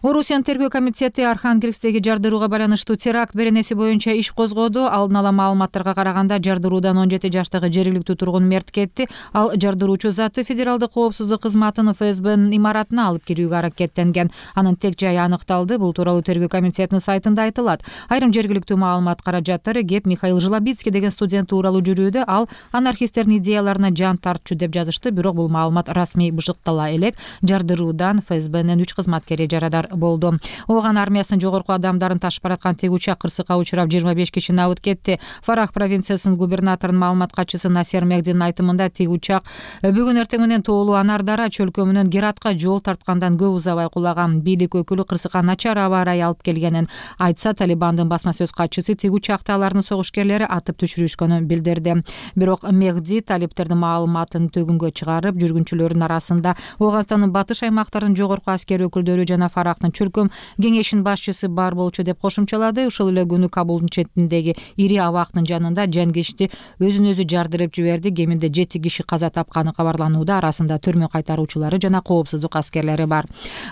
Орусиянын тергөө комитети Архангельсктеги жардырууга байланыштуу теракт беренеси боюнча иш козгоду. Алдын ала маалыматтарга караганда жардыруудан 17 жаштагы жергиликтүү тургун мерт кетти. Ал жардыруучу заты федералдык коопсуздук кызматынын ФСБнын имаратына алып кирүүгө аракеттенген. Анын тег жайы аныкталды. Бул тууралуу тергөө комитетинин сайтында айтылат. Айрым жергиликтүү маалымат каражаттары кеп Михаил Жлобицкий деген студент тууралуу жүрүүдө. Ал анархисттердин идеяларына жан тартчу деп жазышты. Бирок бул маалымат расмий бышыктала элек. Жардыруудан ФСБнын 3 кызматкери жарадар болду. Ооган армиясынын жогорку адамдарын ташып бараткан тег учак кырсыкка учурап 25 киши набыт кетти. Фарах провинциясынын губернаторунун маалымат катчысы Насер Мехдинин айтымында тег учак бүгүн эртең менен тоолуу Анардара чөлкө менен Гератка жол тарткандан көп узабай кулаган. Бийлик өкүлү кырсыкка начар аба ырайы алып келгенин айтса, Талибандын басма сөз катчысы тег учакты алардын согушкерлери атып түшүрүшкөнүн билдирди. Бирок Мехди талиптердин маалыматын төгүнгө чыгарып, жүргүнчүлөрдүн арасында Ооганстандын батыш аймактарынын жогорку аскер өкүлдөрү жана Фарахтын чөлкөм кеңешинин башчысы бар болчу деп кошумчалады. Ушул эле күнү Кабулдун четиндеги ири абактын жанында жангечти өзүн өзү жардырып жиберди. Кеминде 7 киши каза тапканы кабарланууда. Арасында төрмө кайтаруучулары жана коопсуздук аскерлери бар.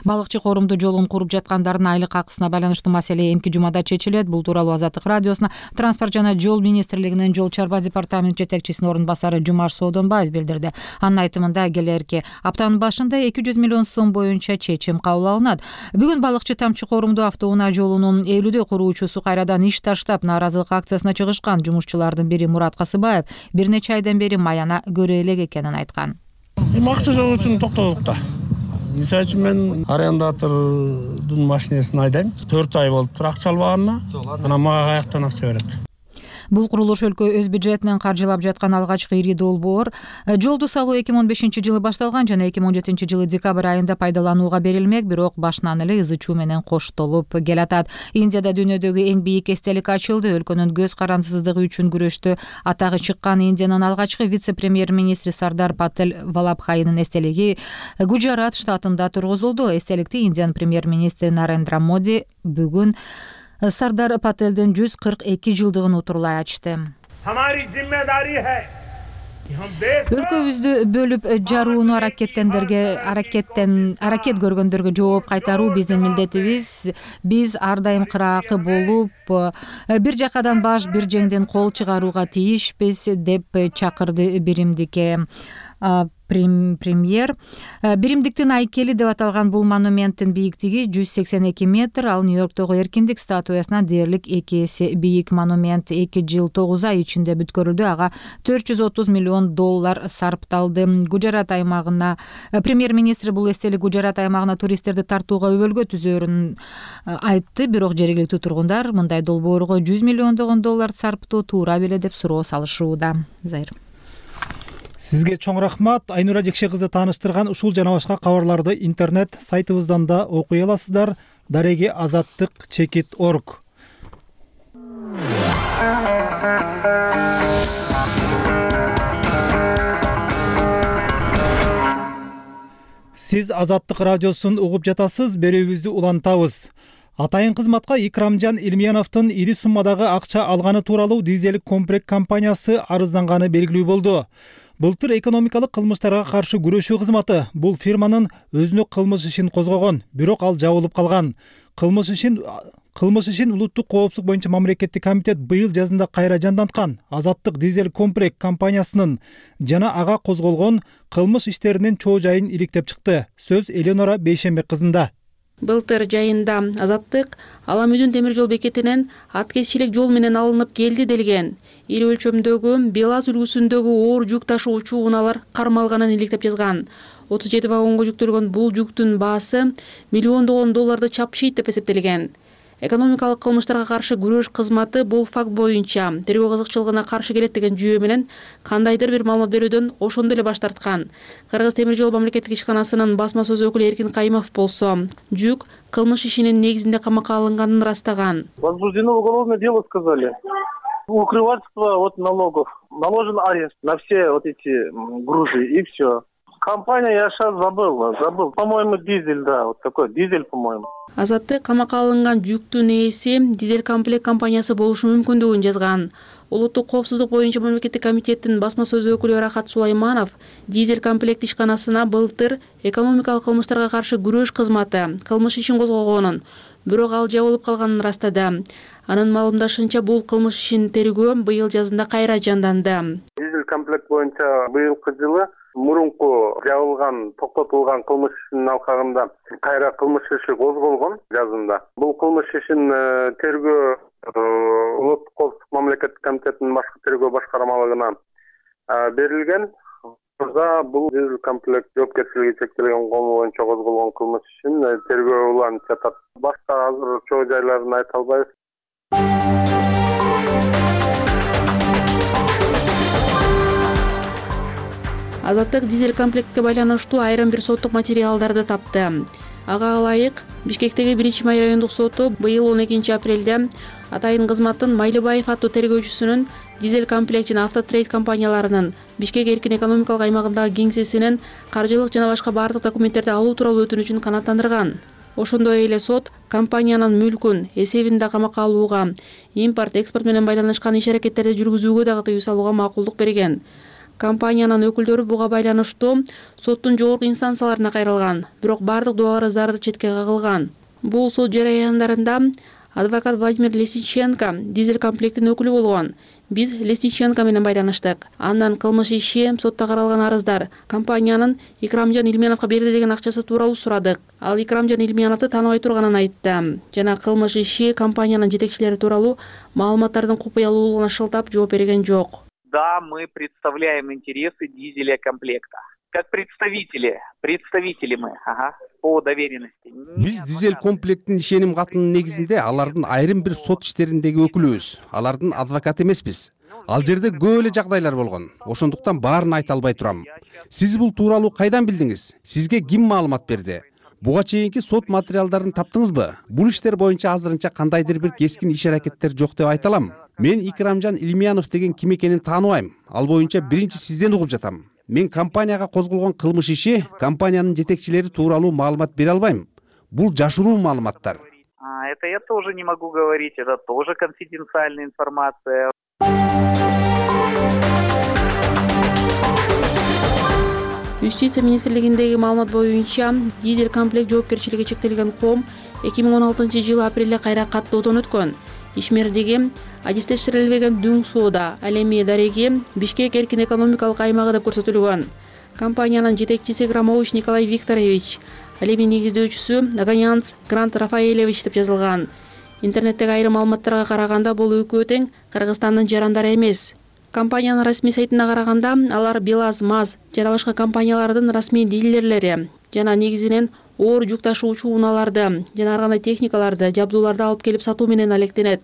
Балыкчы корумду жолун куруп жаткандардын айлык акысына байланыштуу маселе эмки жумада чечилет. Бул тууралуу Азаттык радиосуна транспорт жана жол министрлигинин жол чарба департамент жетекчисинин орун басары Жумаш Соодонбаев билдирди. Анын айтымында келерки аптанын башында 200 миллион сом боюнча чечим кабыл алынат. Бүгүн балыкчы тамчы корумду автоунаа жолунун 50 куруучусу кайрадан иш таштап нааразылык акциясына чыгышкан. Жумушчулардын бири Мурат Касыбаев бир нече айдан бери маяна көрө элек экенин айткан. Акча жок үчүн токтодук да. Мисалы үчүн мен арендатордун машинесин айдайм. 4 ай болуптур акча албаганына. Анан мага каяктан акча берет? Бул курулуш өлкө өз бюджетинен каржылап жаткан алгачкы ири долбоор. Жолду салуу 2015-жылы башталган жана 2017-жылы декабрь айында пайдаланууга берилмек, бирок башынан эле ызы чуу менен коштолуп келатат. Индияда дүйнөдөгү эң бийик эстелик ачылды. Өлкөнүн көз карандысыздыгы үчүн күрөштө атагы чыккан Индиянын алгачкы вице-премьер-министри Сардар Патель Валабхайнын эстелиги Гуджарат штатында тургузулду. Эстеликти Индиянын премьер-министри Нарендра Моди бүгүн Сардар Пателдин 142 жылдыгын утурлай ачты. Өлкөбүздү бөлүп жарууну аракет көргөндөргө жооп кайтаруу биздин милдетибиз. Биз ар дайым кыраакы болуп, бир жакадан баш, бир жеңден кол чыгарууга тийишпиз деп чакырды биримдикке премьер. Биримдиктин айкели деп аталган бул монументтин бийиктиги 182 метр, ал Нью-Йорктогу эркиндик статуясынан дээрлик 2 эсе бийик. Монумент 2 жыл 9 ай ичинде бүткөрүлдү. Ага $430 миллион сарпталды. Гуджарат аймагына премьер-министр бул эстелик Гуджарат аймагына туристтерди тартууга өбөлгө түзөөрүн айтты, бирок жергиликтүү тургундар мындай долбоорго $100 миллион сарптоо туура беле деп суроо салышууда. Зайыр. Сизге чоң рахмат. Айнура Жекше кызы тааныштырган ушул жана башка кабарларды интернет сайтыбыздан да окуй аласыздар. Дареги azattik.org. Сиз Азаттык радиосун угуп жатасыз. Берүүбүздү улантабыз. Атайын кызматка Икрамжан Илмияновдун ири суммадагы акча алганы тууралуу дизелик комплект компаниясы арызданганы белгилүү болду. Былтыр экономикалык кылмыштарга каршы күрөшүү кызматы бул фирманын өзүнө кылмыш ишин козгогон, бирок ал жабылып калган. Кылмыш ишин улуттук коопсуздук боюнча мамлекеттик комитет быйыл жазында кайра жанданткан. Азаттык дизель комплект компаниясынын жана ага козголгон кылмыш иштеринин чоо жайын иликтеп чыкты. Сөз Элеонора Бейшембек кызында. Былтыр жайында Азаттык Аламүдүн темир жол бекетинен аткезчилик жол менен алынып келди делген. Ири өлчөмдөгү БелАЗ үлгүсүндөгү оор жүк ташуучу унаалар кармалганын иликтеп жазган. 37 вагонго жүктөлгөн бул жүктүн баасы миллиондогон долларды чапшыйт деп эсептелген. Экономикалык кылмыштарга каршы күрөш кызматы бул факт боюнча тергөө кызыкчылыгына каршы келет деген жүйө менен кандайдыр бир маалымат берүүдөн ошондо эле баш тарткан. Кыргыз темир жол мамлекеттик ишканасынын басма сөз өкүлү Эркин Кайымов болсо, жүк кылмыш ишинин негизинде камакка алынганын ырастаган. Возбуждено уголовное дело, сказали. Укрывательство от налогов. Наложен арест на все вот эти грузы и все. Компания я сейчас забыл. По-моему, дизель, да, вот такой дизель, по-моему. Азаттык камакка алынган жүктүн ээси дизель комплект компаниясы болушу мүмкүндүгүн жазган. Улуттук коопсуздук боюнча мамлекеттик комитеттин басма сөз өкүлү Рахат Сулайманов дизель комплект ишканасына былтыр экономикалык кылмыштарга каршы күрөш кызматы кылмыш ишин козгогонун, бирок ал жабылып калганын ырастады. Анын маалымдашынча бул кылмыш ишин тергөө быйыл жазында кайра жанданды. Дизель комплект боюнча быйылкы жылы мурунку жабылган, токтотулган кылмыш ишинин алкагында кайра кылмыш иши козголгон жазында. Бул кылмыш ишин тергөө улуттук коопсуздук мамлекеттик комитетинин башкы тергөө башкармалыгына берилген. Бул дизель комплект жоопкерчилиги чектелген кому боюнча козголгон кылмыш ишин тергөө уланып жатат. Башка азыр чоо жайларын айта албайбыз. Азаттык дизель комплектке байланыштуу айрым бир соттук материалдарды тапты. Ага ылайык Бишкектеги 1-Май райондук соту быйыл 12 апрелде Атайын кызматтын Майлыбаев аттуу тергөөчүсүнүн дизель комплект жана автотрейд компанияларынын Бишкек эркин экономикалык аймагындагы кеңсесинин каржылык жана башка бардык документтерди алуу тууралуу өтүнүчүн канааттандырган. Ошондой эле сот компаниянын мүлкүн эсебинде камакка алууга, импорт, экспорт менен байланышкан иш-аракеттерди жүргүзүүгө дагы тыюу салууга макулдук берген. Компаниянын өкүлдөрү буга байланыштуу соттун жогорку инстанцияларына кайрылган, бирок бардык доо арыздары четке кагылган. Бул сот жараяндарында адвокат Владимир Лесниченко дизель комплектин өкүлү болгон. Биз Лесниченко менен байланыштык. Андан кылмыш иши, сотто каралган арыздар компаниянын Икрамжан Илмияновго берди деген акчасы тууралуу сурадык. Ал Икрамжан Илмияновду тааныбай турганын айтты. Жана кылмыш иши компаниянын жетекчилери тууралуу маалыматтардын купуялуулугуна шылтап жооп берген жок. Да, мы представляем интересы дизеля комплекта. Как представители мы. Ага. по доверенности. Биз дизель комплекттин ишеним катынын негизинде алардын айрым бир сот иштериндеги өкүлүбүз. Алардын адвокаты эмеспиз. Ал жерде көп эле жагдайлар болгон. Ошондуктан баарын айта албай турам. Сиз бул тууралуу кайдан билдиңиз? Сизге ким маалымат берди? Буга чейинки сот материалдарын таптыңызбы? Бул иштер боюнча азырынча кандайдыр бир кескин иш аракеттер жок деп айта алам. Мен Икрамжан Илмиянов деген ким экенин тааныбайм. Ал боюнча биринчи сизден угуп жатам. Мен компанияга козголгон кылмыш иши, компаниянын жетекчилери тууралуу маалымат бере албайм. Бул жашыруу маалыматтар. Это я тоже не могу говорить, это тоже конфиденциальная информация. Юстиция министрлигиндеги маалымат боюнча дизель комплект жоопкерчилиги чектелген ком 2016-жылы апрелде кайра каттоодон өткөн. Ишмердиги адистештирилбеген дүң соода, ал эми дареги Бишкек эркин экономикалык аймагы деп көрсөтүлгөн. Компаниянын жетекчиси Громович Николай Викторович, ал эми негиздөөчүсү Аганянц Грант Рафаэлевич деп жазылган. Интернеттеги айрым маалыматтарга караганда бул экөө тең Кыргызстандын жарандары эмес. Компаниянын расмий сайтына караганда алар БелАЗ, МАЗ жана башка компаниялардын расмий дилерлери жана негизинен оор жүк ташуучу унааларды жана ар кандай техникаларды, жабдууларды алып келип сатуу менен алектенет.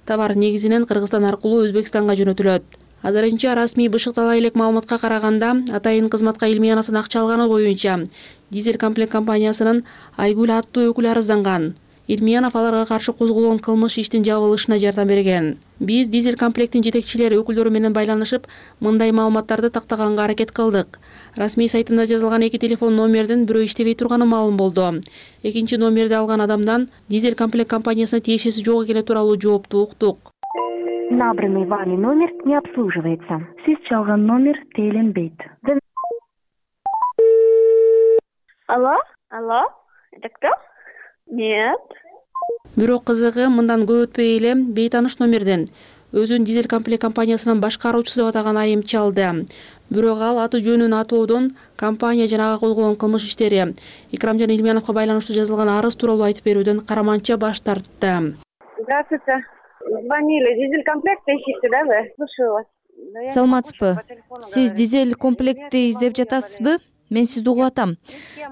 Товар негизинен Кыргызстан аркылуу Өзбекстанга жөнөтүлөт. Азырынча расмий бышыктала элек маалыматка караганда атайын кызматка Илмияновдун акча алганы боюнча дизель комплект компаниясынын Айгүл аттуу өкүлү арызданган. Илмиянов аларга каршы козголгон кылмыш иштин жабылышына жардам берген. Биз дизель комплекттин жетекчилери өкүлдөрү менен байланышып, мындай маалыматтарды тактаганга аракет кылдык. Расмий сайтында жазылган 2 телефон номердин бирөө иштебей турганы маалым болду. Экинчи номерди алган адамдан дизель комплект компаниясына тиешеси жок экени тууралуу жоопту уктук. Набранный вами номер не обслуживается. Сиз чалган номер тейлинбейт. Алло? Это кто? Нет. Бирок кызыгы мындан көп өтпөй эле бейтаныш номерден өзүн дизель комплект компаниясынын башкаруучусу деп атаган айым чалды. Бирок ал аты жөнүн атоодон компания жана ага козголгон кылмыш иштери Икрамжан Илмияновго байланыштуу жазылган арыз тууралуу айтып берүүдөн караманча баш тартты. Здравствуйте. Звонили. Дизель комплект ищите, да, вы? Слушаю вас. Саламатсызбы? Сиз дизель комплектти издеп жатасызбы? Мен сизди угуп атам.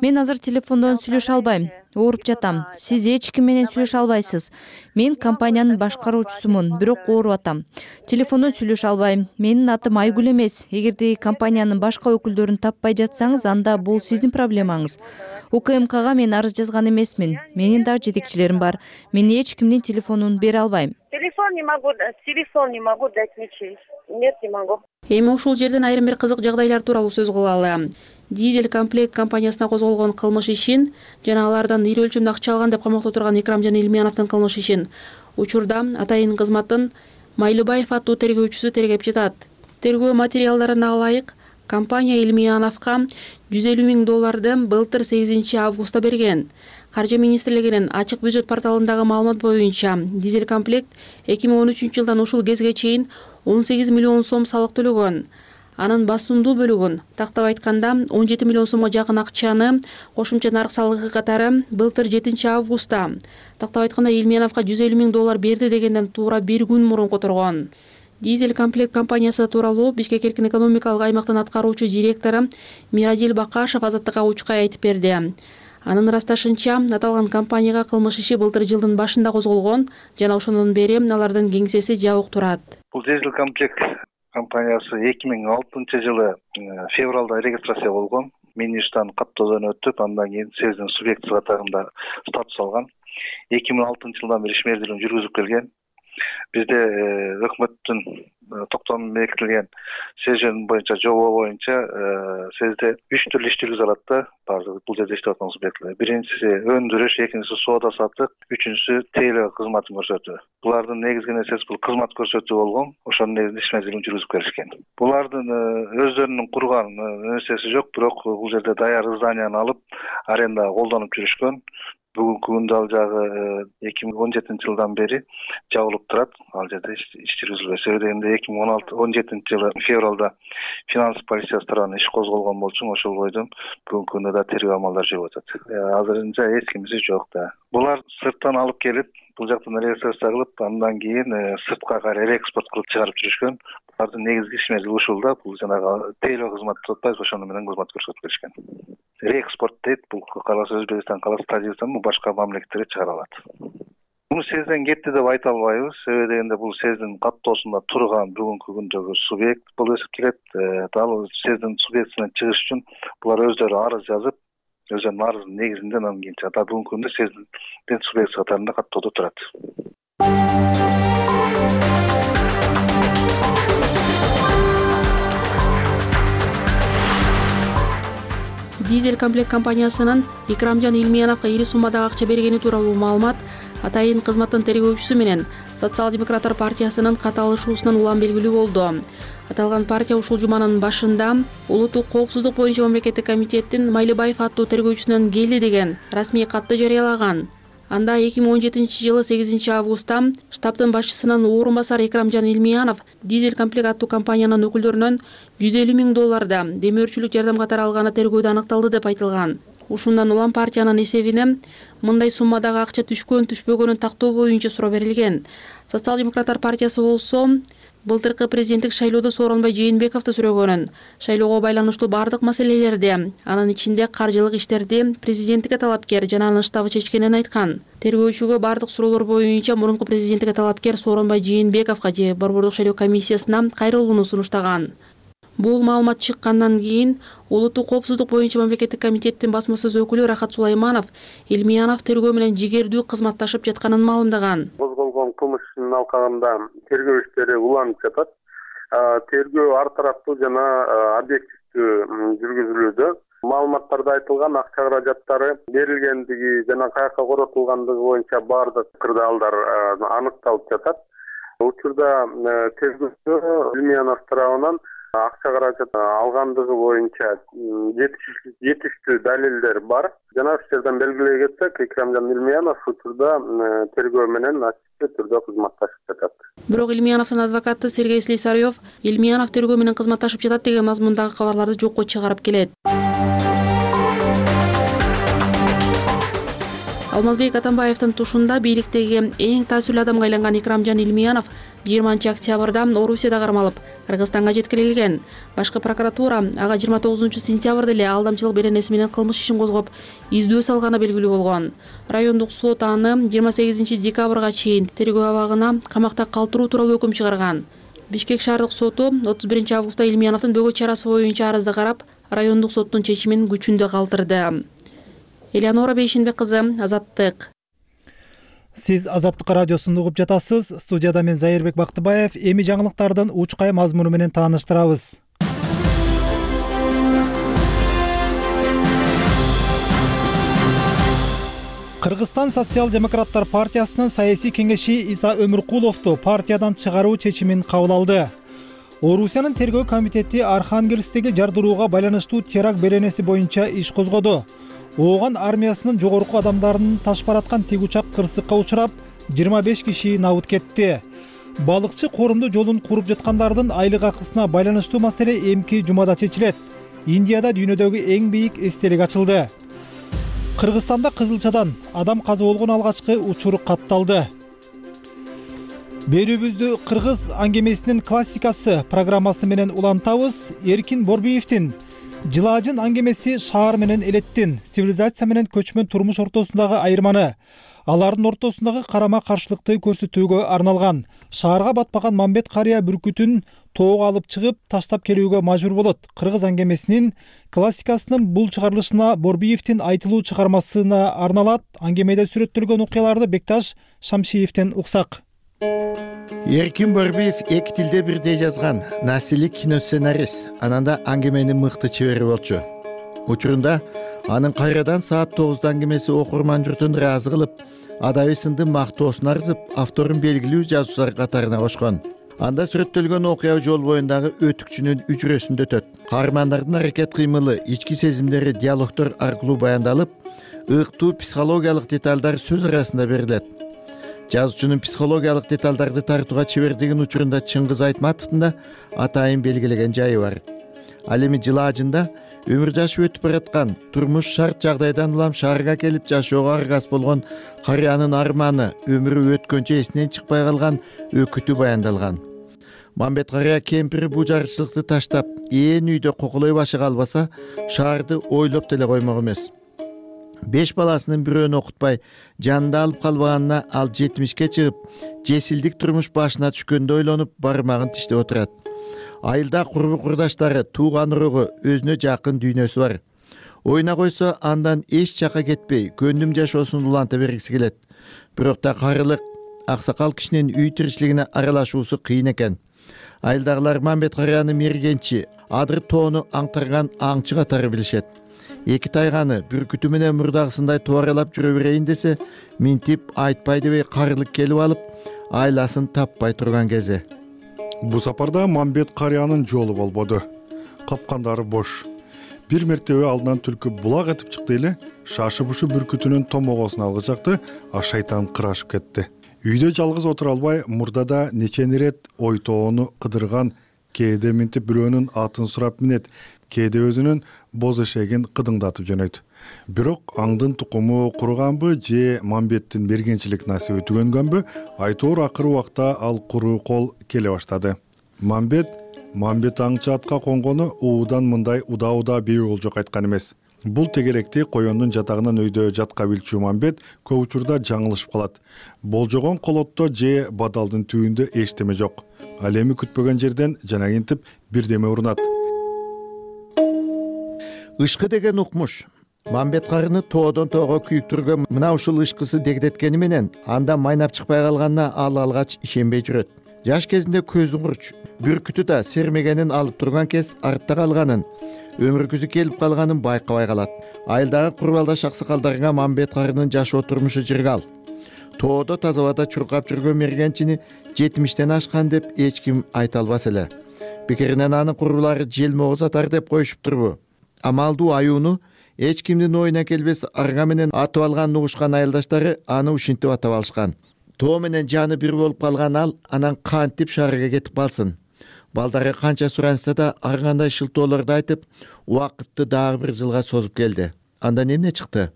Мен азыр телефондон сүйлөшө албайм. Ооруп жатам. Сиз эч ким менен сүйлөшө албайсыз. Мен компаниянын башкаруучусумун, бирок ооруп атам. Телефондон сүйлөшө албайм. Менин атым Айгүл эмес. Эгерде компаниянын башка өкүлдөрүн таппай жатсаңыз, анда бул сиздин проблемаңыз. УКМКга мен арыз жазган эмесмин. Менин дагы жетекчилерим бар. Мен эч кимдин телефонун бере албайм. Телефон не могу дать ничей. Нет, не могу. Эми ушул жерден айрым бир кызык жагдайлар тууралуу сөз кылалы. Дизель комплект компаниясына козголгон кылмыш ишин жана алардан ири өлчөмдө акча алган деп камакта турган Икрамжан Илмияновдун кылмыш ишин учурда атайын кызматтын Майлыбаев аттуу тергөөчүсү тергеп жатат. Тергөө материалдарына ылайык компания Илмияновго $150,000 былтыр 8 августта берген. Каржы министрлигинин ачык бюджет порталындагы маалымат боюнча дизель комплект 2013-жылдан ушул кезге чейин 18 миллион сом салык төлөгөн. Анын басымдуу бөлүгүн, тактап айтканда 17 миллион сомго жакын акчаны кошумча нарк салыгы катары былтыр 7 августта, тактап айтканда Илмияновго $150,000 берди дегенден туура 1 күн мурун которгон. Дизель комплект компаниясы тууралуу Бишкек эркин экономикалык аймактын аткаруучу директору Мирадил Бакашев Азаттыкка учкай айтып берди. Анын ырасташынча, аталган компанияга кылмыш иши былтыр жылдын башында козголгон жана ошондон бери алардын кеңсеси жабык турат. Бул дизель комплект компаниясы 2006-жылы февралда регистрация болгон. Министрден каттоодон өтүп, андан кийин СЭЗдин субъекти катарында статус алган. 2006-жылдан бери ишмердүүлүгүн жүргүзүп келген. Бизде өкмөттүн токтомунда бекитилген СЭЖ боюнча жобо боюнча СЭЗде 3 түрлүү иш жүргүзө алат да, баардык бул жерде иштеп аткан субъекттер. Биринчиси өндүрүш, экинчиси соода сатык, үчүнчүсү тейлөө кызматын көрсөтүү. Булардын негизги нерсеси бул кызмат көрсөтүү болгон. Ошонун негизинде ишмердүүлүгүн жүргүзүп келишкен. Булардын өздөрүнүн курган нерсеси жок, бирок бул жерде даяр зданияны алып арендага колдонуп жүрүшкөн. Бүгүнкү күндө ал жагы 2017-жылдан бери жабылып турат. Ал жерде иш жүргүзүлбөй. Себеби дегенде 2017-жылы февралда финанс полициясы тарабынан иш козголгон болчу, ошол бойдон бүгүнкү күндө да тергөө амалдары жүрүп атат. Азырынча эч кимиси жок да. Булар сырттан алып келип бул жактан регистрация кылып, андан кийин сыртка кайра реэкспорт кылып чыгарып жүрүшкөн. Алардын негизги ишмери ушул да, бул жанагы тейлөө кызмат деп атпайбызбы, ошону менен кызмат көрсөтүп келишкен. Реэкспорт дейт, бул каласа Өзбекстан, каласа Тажикстан, башка мамлекеттерге чыгара алат. Муну сезден кетти деп айта албайбыз. Себеби дегенде бул сездин каттоосунда турган бүгүнкү күндөгү субъект болуп эсептелет. Ал сездин субъектисинен чыгыш үчүн булар өздөрү арыз жазып, өздөрүнүн арызынын негизинде анан кийин бүгүнкү күндө сездин субъект катарында каттоодо турат. Дизель комплект компаниясынын Икрамжан Илмияновго ири суммадагы акча бергени тууралуу маалымат атайын кызматтын тергөөчүсү менен Социал-демократтар партиясынын каталышуусунан улам белгилүү болду. Аталган партия ушул жуманын башында Улуттук коопсуздук боюнча мамлекеттик комитеттин Майлыбаев аттуу тергөөчүсүнөн келди деген расмий катты жарыялаган. Анда 2017-жылы 8-августта штабтын башчысынын орун басары Икрамжан Илмиянов Дизель комплект аттуу компаниянын өкүлдөрүнөн $150,000 демөөрчүлүк жардам катары алганы тергөөдө аныкталды деп айтылган. Ушундан улам партиянын эсебине мындай суммадагы акча түшпөгөнүн тактоо боюнча суроо берилген. Социал-демократтар партиясы болсо былтыркы президенттик шайлоодо Сооронбай Жээнбековду сүрөгөнүн, шайлоого байланыштуу бардык маселелерди, анын ичинде каржылык иштерди президенттикке талапкер жана анын штабы чечкенин айткан. Тергөөчүгө бардык суроолор боюнча мурунку президенттикке талапкер Сооронбай Жээнбековго же Борбордук шайлоо комиссиясына кайрылууну сунуштаган. Бул маалымат чыккандан кийин Улуттук коопсуздук боюнча мамлекеттик комитеттин басма сөз өкүлү Рахат Сулайманов Илмиянов тергөө менен жигердүү кызматташып жатканын маалымдаган. Козголгон кылмыш ишинин алкагында тергөө иштери уланып жатат. Тергөө ар тараптуу жана объективдүү жүргүзүлүүдө. Маалыматтарда айтылган акча каражаттары берилгендиги жана каяка коротулгандыгы боюнча бардык кырдаалдар аныкталып жатат. Учурда тергөөдө Илмиянов тарабынан акча каражат алгандыгы боюнча жетиштүү далилдер бар. Жана ушул жерден белгилей кетсек, Икрамжан Илмиянов учурда тергөө менен ачык түрдө кызматташып жатат. Бирок Илмияновдун адвокаты Сергей Слесарев Илмиянов тергөө менен кызматташып жатат деген мазмундагы кабарларды жокко чыгарып келет. Алмазбек Атамбаевдин тушунда бийликтеги эң таасирлүү адамга айланган Икрамжан Илмиянов 20-октябрда Орусияда кармалып, Кыргызстанга жеткирилген. Башкы прокуратура ага 29-сентябрда эле алдамчылык беренеси менен кылмыш ишин козгоп, издөө салганы белгилүү болгон. Райондук сот аны 28-декабрга чейин тергөө абагына камакта калтыруу тууралуу өкүм чыгарган. Бишкек шаардык соту 31-августта Илмияновдун бөгөт чарасы боюнча арызды карап, райондук соттун чечимин күчүндө калтырды. Элеонора Бейшенбек кызы, Азаттык. Сиз Азаттык радиосунду угуп жатасыз. Студияда мен Зайырбек Бактыбаев. Эми жаңылыктардын учкай мазмуну менен тааныштырабыз. Кыргызстан социал-демократтар партиясынын саясий кеңеши Иса Өмүркуловду партиядан чыгаруу чечимин кабыл алды. Орусиянын тергөө комитети Архангельсктеги жардырууга байланыштуу теракт беренеси боюнча иш козгоду. Ооган армиясынын жогорку адамдарын таш бараткан тик учак кырсыкка учурап, 25 киши набыт кетти. Балыкчы корумду жолун куруп жаткандардын айлык акысына байланыштуу маселе эмки жумада чечилет. Индияда дүйнөдөгү эң бийик эстелик ачылды. Кыргызстанда Кызылчадан адам каза болгон алгачкы учур катталды. Берүүбүздү кыргыз аңгемесинин классикасы программасы менен улантабыз. Эркин Борбиевдин Жылаажын аңгемеси шаар менен элеттин, цивилизация менен көчмөн турмуш ортосундагы айырманы, алардын ортосундагы карама каршылыкты көрсөтүүгө арналган. Шаарга батпаган Мамбет карыя бүркүтүн тоого алып чыгып, таштап келүүгө мажбур болот. Кыргыз аңгемесинин классикасынын бул чыгарылышына Борбиевдин айтылуу чыгармасына арналат. Аңгемеде сүрөттөлгөн окуяларды Бекташ Шамшиевден уксак. Эркин Борбиев эки тилде бирдей жазган насилик киносценарист, ананда аңгеменин мыкты чебери болчу. Учурунда анын кайрадан саат 9 аңгемеси окурман журтун ыраазы кылып, адабий сынды мактоосун арзып, авторун белгилүү жазуучулар катарына кошкон. Анда сүрөттөлгөн окуя жол боюндагы өтүкчүнүн үчүрөсүндө өтөт. Каармандардын аракет кыймылы, ички сезимдери диалогдор аркылуу баяндалып, ыктуу психологиялык деталдар сөз арасында берилет. Жазуучунун психологиялык деталдарды тартууга чебердигин учурунда Чыңгыз Айтматовдун да атайын белгилеген жайы бар. Ал эми Жылаажында өмүр жашы өтүп бараткан турмуш шарт жагдайдан улам шаарга келип жашоого аргас болгон карыянын арманы, өмүрү өткөнчө эсинен чыкпай калган өкүтү баяндалган. Мамбет карыя кемпири бул жарычылыкты таштап, ээн үйдө коколой башы калбаса, шаарды ойлоп деле коймок эмес. 5 баласынын бирөөнү окутпай, жанында алып калбаганына ал 70ке чыгып, жесилдик турмуш башына түшкөндө ойлонуп, бармагын тиштеп отурат. Айылда курбу курдаштары, тууган урогу, өзүнө жакын дүйнөсү бар. Ойна койсо, андан эч жака кетпей, көндүм жашоосун уланта бергиси келет. Бирок да карылык, аксакал кишинин үй тиричилигине аралашуусу кыйын экен. Айылдагылар Мамбет карыяны мергенчи, адыр тоону аңтарган аңчы катары билишет. Эки тайганы бүркүтү менен мурдагысындай туаралап жүрө берейин десе, минтип айтпай дебей карылык келип алып, айласын таппай турган кези. Бу сапарда Мамбет карыянын жолу болбоду. Капкандары бош. Бир мертебе алдынан түлкү булак этип чыкты эле, шашып ушу бүркүтүнүн томогосун алгычакты, а шайтан кырашып кетти. Үйдө жалгыз отура албай, мурдада нечен ирет ойтоону кыдырган, кээде минтип бирөөнүн атын сурап минет, кээде өзүнүн боз эшегин кыдыңдатып жөнөйт. Бирок аңдын тукуму куруганбы же Мамбеттин бергенчилик насиби түгөнгөнбү, айтоор акыры убакта ал куру кол келе баштады. Мамбет аңчы атка конгону уудан мындай уда бей болжок айткан эмес. Бул тегеректи коёндун жатагынан өйдө жатка билчү Мамбет көп учурда жаңылышып калат. Болжогон колотто же бадалдын түбүндө эчтеме жок. Ал эми күтпөгөн жерден жанагинтип бирдеме урунат. Ышкы деген укмуш. Мамбет карыны тоодон тоого күйүктүргөн мына ушул ышкысы дегдеткени менен анда майнап чыкпай калганына ал алгач ишенбей жүрөт. Жаш кезинде көзүн курч, бүркүтү да сермегенин алып турган кез артта калганын, өмүргүсү келип калганын байкабай калат. Айылдагы курбалдаш аксакалдарга Мамбет карынын жашоо турмушу жыргал. Тоодо таза абада чуркап жүргөн мергенчини 70тен ашкан деп эч ким айта албас эле. Пикиринен анын курбулары желмогуз атар деп коюшуптурбу? Амалдуу аюуну эч кимдин оюна келбес арга менен атып алганын угушкан айылдаштары аны ушинтип атап алышкан. Тоо менен жаны бир болуп калган ал анан кантип шаарга кетип калсын. Балдары канча суранса да ар кандай шылтоолорду айтып, убакытты дагы бир жылга созуп келди. Андан эмне чыкты?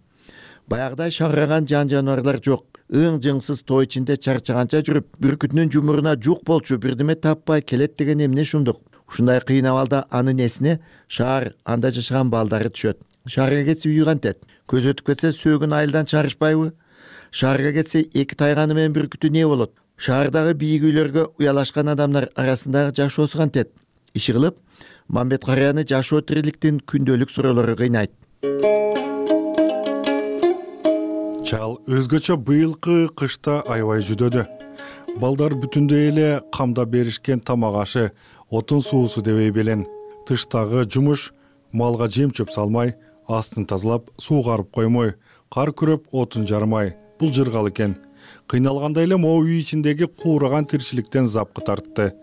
Баягыдай шараган жан жаныбарлар жок. Ың-жыңсыз тоо ичинде чарчаганча жүрүп, бүркүтүнүн жумуруна жук болчу бирдеме таппай келет деген эмне шумдук. Ушундай кыйын абалда анын эсине шаар, анда жашаган балдары түшөт. Шаарга кетсе үйү кантет? Көз өтүп кетсе сөөгүн айылдан чарышпайбы? Шаарга кетсе эки тайганы менен бүркүтү не болот? Шаардагы бийик үйлөргө уялашкан адамдар арасындагы жашоосу кантет? Иши кылып, Мамбет карыяны жашоо тириликтин күндөлүк суроолору кыйнайт. Чал өзгөчө быйылкы кышта аябай жүдөдү. Балдар бүтүндөй эле камдап беришкен тамак ашы, отун суусу дебей белен. Тыштагы жумуш малга жем чөп салмай, астын тазалап, суугарып коймой, кар күрөп отун жармай. Бул жыргал экен. Кыйналгандай эле могу үй ичиндеги куураган тирчиликтен запкы тартты.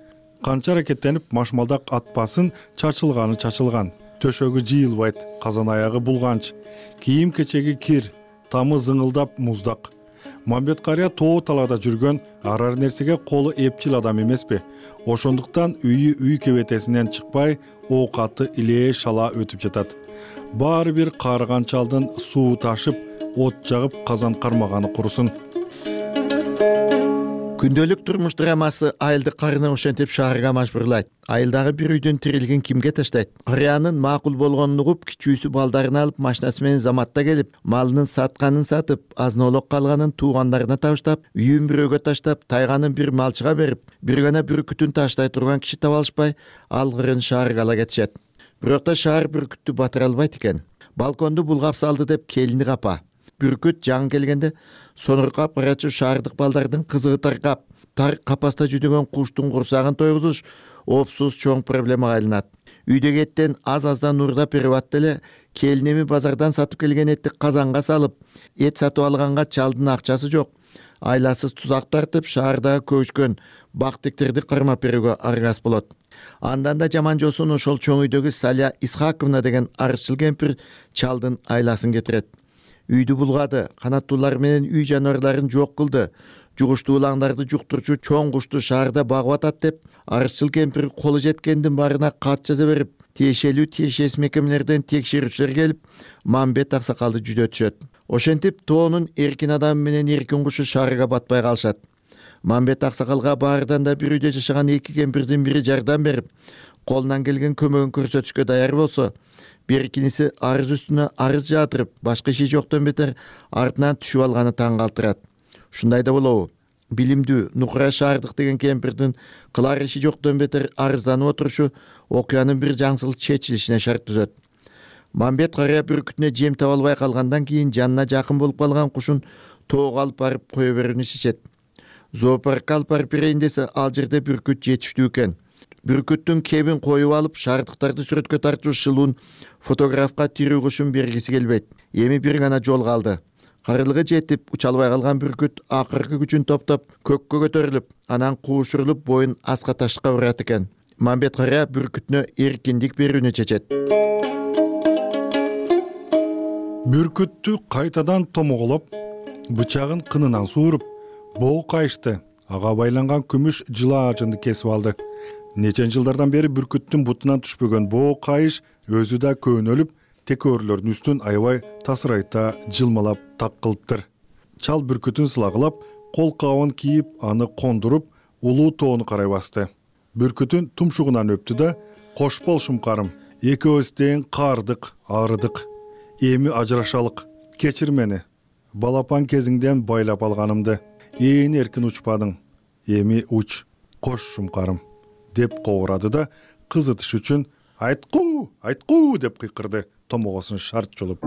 Канча аракеттенип машмалдак атпасын, чачылган. Төшөгү жыйылбайт, казан аягы булганч, кийим кечеги кир, тамы зыңылдап муздак. Мамбет карыя тоо талаада жүргөн, арар нерсеге колу эпчил адам эмеспи? Ошондуктан үй кебетесинен чыкпай, оокаты илээ шала өтүп жатат. Баары бир каарыган чалдын суу ташып, от жагып казан кармаганы курусун. Күндөлүк турмуш драмасы айылды карыны ошентип шаарга мажбурлайт. Айылдагы бир үйдүн тирилигин кимге таштайт? Карыянын макул болгонун угуп, кичүүсү балдарын алып машинасы менен заматта келип, малынын сатканын сатып, азын-олок калганын туугандарына табыштап, үйүн бирөөгө таштап, тайганын бир малчыга берип, бир гана бүркүтүн таштай турган киши таба алышпай, алгырын шаарга ала кетишет. Бирок да шаар бүркүттү батыра албайт экен. Балконду булгап салды деп келини капа. Бүркүт жаңы келгенде сонуркап карачу шаардык балдардын кызыгы таркап, тар капаста жүдөгөн куштун курсагын тойгузуш опсуз чоң проблемага айланат. Үйдөгү эттен аз-аздан уурдап берип атты эле, келинеми базардан сатып келген этти казанга салып, эт сатып алганга чалдын акчасы жок. Айласыз тузак тартып, шаардагы көчкөн бактиктерди кармап берүүгө аргас болот. Андан да жаман жосун ошол чоң үйдөгү Саля Исхаковна деген арызчыл кемпир чалдын айласын кетирет. Үйдү булгады, канаттуулар менен үй жаныбарларын жок кылды, жугуштуу улаңдарды жуктурчу чоң кушту шаарда багып атат деп, арызчыл кемпир колу жеткендин баарына кат жаза берип, тиешелүү мекемелерден текшерүүчүлөр келип Мамбет аксакалды жүдөтүшөт. Ошентип тоонун эркин адамы менен эркин кушу шаарга батпай калышат. Мамбет аксакалга баардан да бир үйдө жашаган эки кемпирдин бири жардам берип, колунан келген көмөгүн көрсөтүшкө даяр болсо, беркиниси арыз үстүнө арыз жаатырып, башка иши жоктон бетер артынан түшүп алганы таң калтырат. Ушундай да болобу? Билимдүү Нукура Шаардык деген кемпирдин кылар иши жоктон бетер арызданып отурушу окуянын бир жаңсыл чечилишине шарт түзөт. Мамбет карыя бүркүтүнө жем таба албай калгандан кийин жанына жакын болуп калган кушун тоого алып барып кое берүүнү чечет. Зоопаркка алып барып берейин десе, ал жерде бүркүт жетиштүү экен. Бүркүттүн кебин коюп алып, шаардыктарды сүрөткө тартуу шылуун фотографка тирүү кушун бергиси келбейт. Эми бир гана жол калды. Карылыгы жетип, уча албай калган бүркүт акыркы күчүн топтоп, көккө көтөрүлүп, анан куушурулуп боюн аска ташка урат экен. Мамбет карыя бүркүтүнө эркиндик берүүнү чечет. Бүркүттү кайтадан томоголоп, бычагын кынынан сууруп, боо кайышты. Ага байланган күмүш жылаажынды кесип алды. Нечен жылдардан бери бүркүттүн бутунан түшпөгөн боо кайыш өзү да көөнөлүп, текөөрүлөрдүн үстүн аябай тасырайта жылмалап так кылыптыр. Чал бүркүтүн сылагылап, кол кабын кийип, аны кондуруп, улуу тоону карай басты. Бүркүтүн тумшугунан өптү да: "Кош бол шумкарым, экөөбүз тең каардык, аарыдык. Эми ажырашалык. Кечир мени. Балапан кезиңден байлап алганымды. Ээн эркин учпадың. Эми уч, кош шумкарым" деп кобурады да, кызытыш үчүн айткуу деп кыйкырды, томогосун шарт жолуп.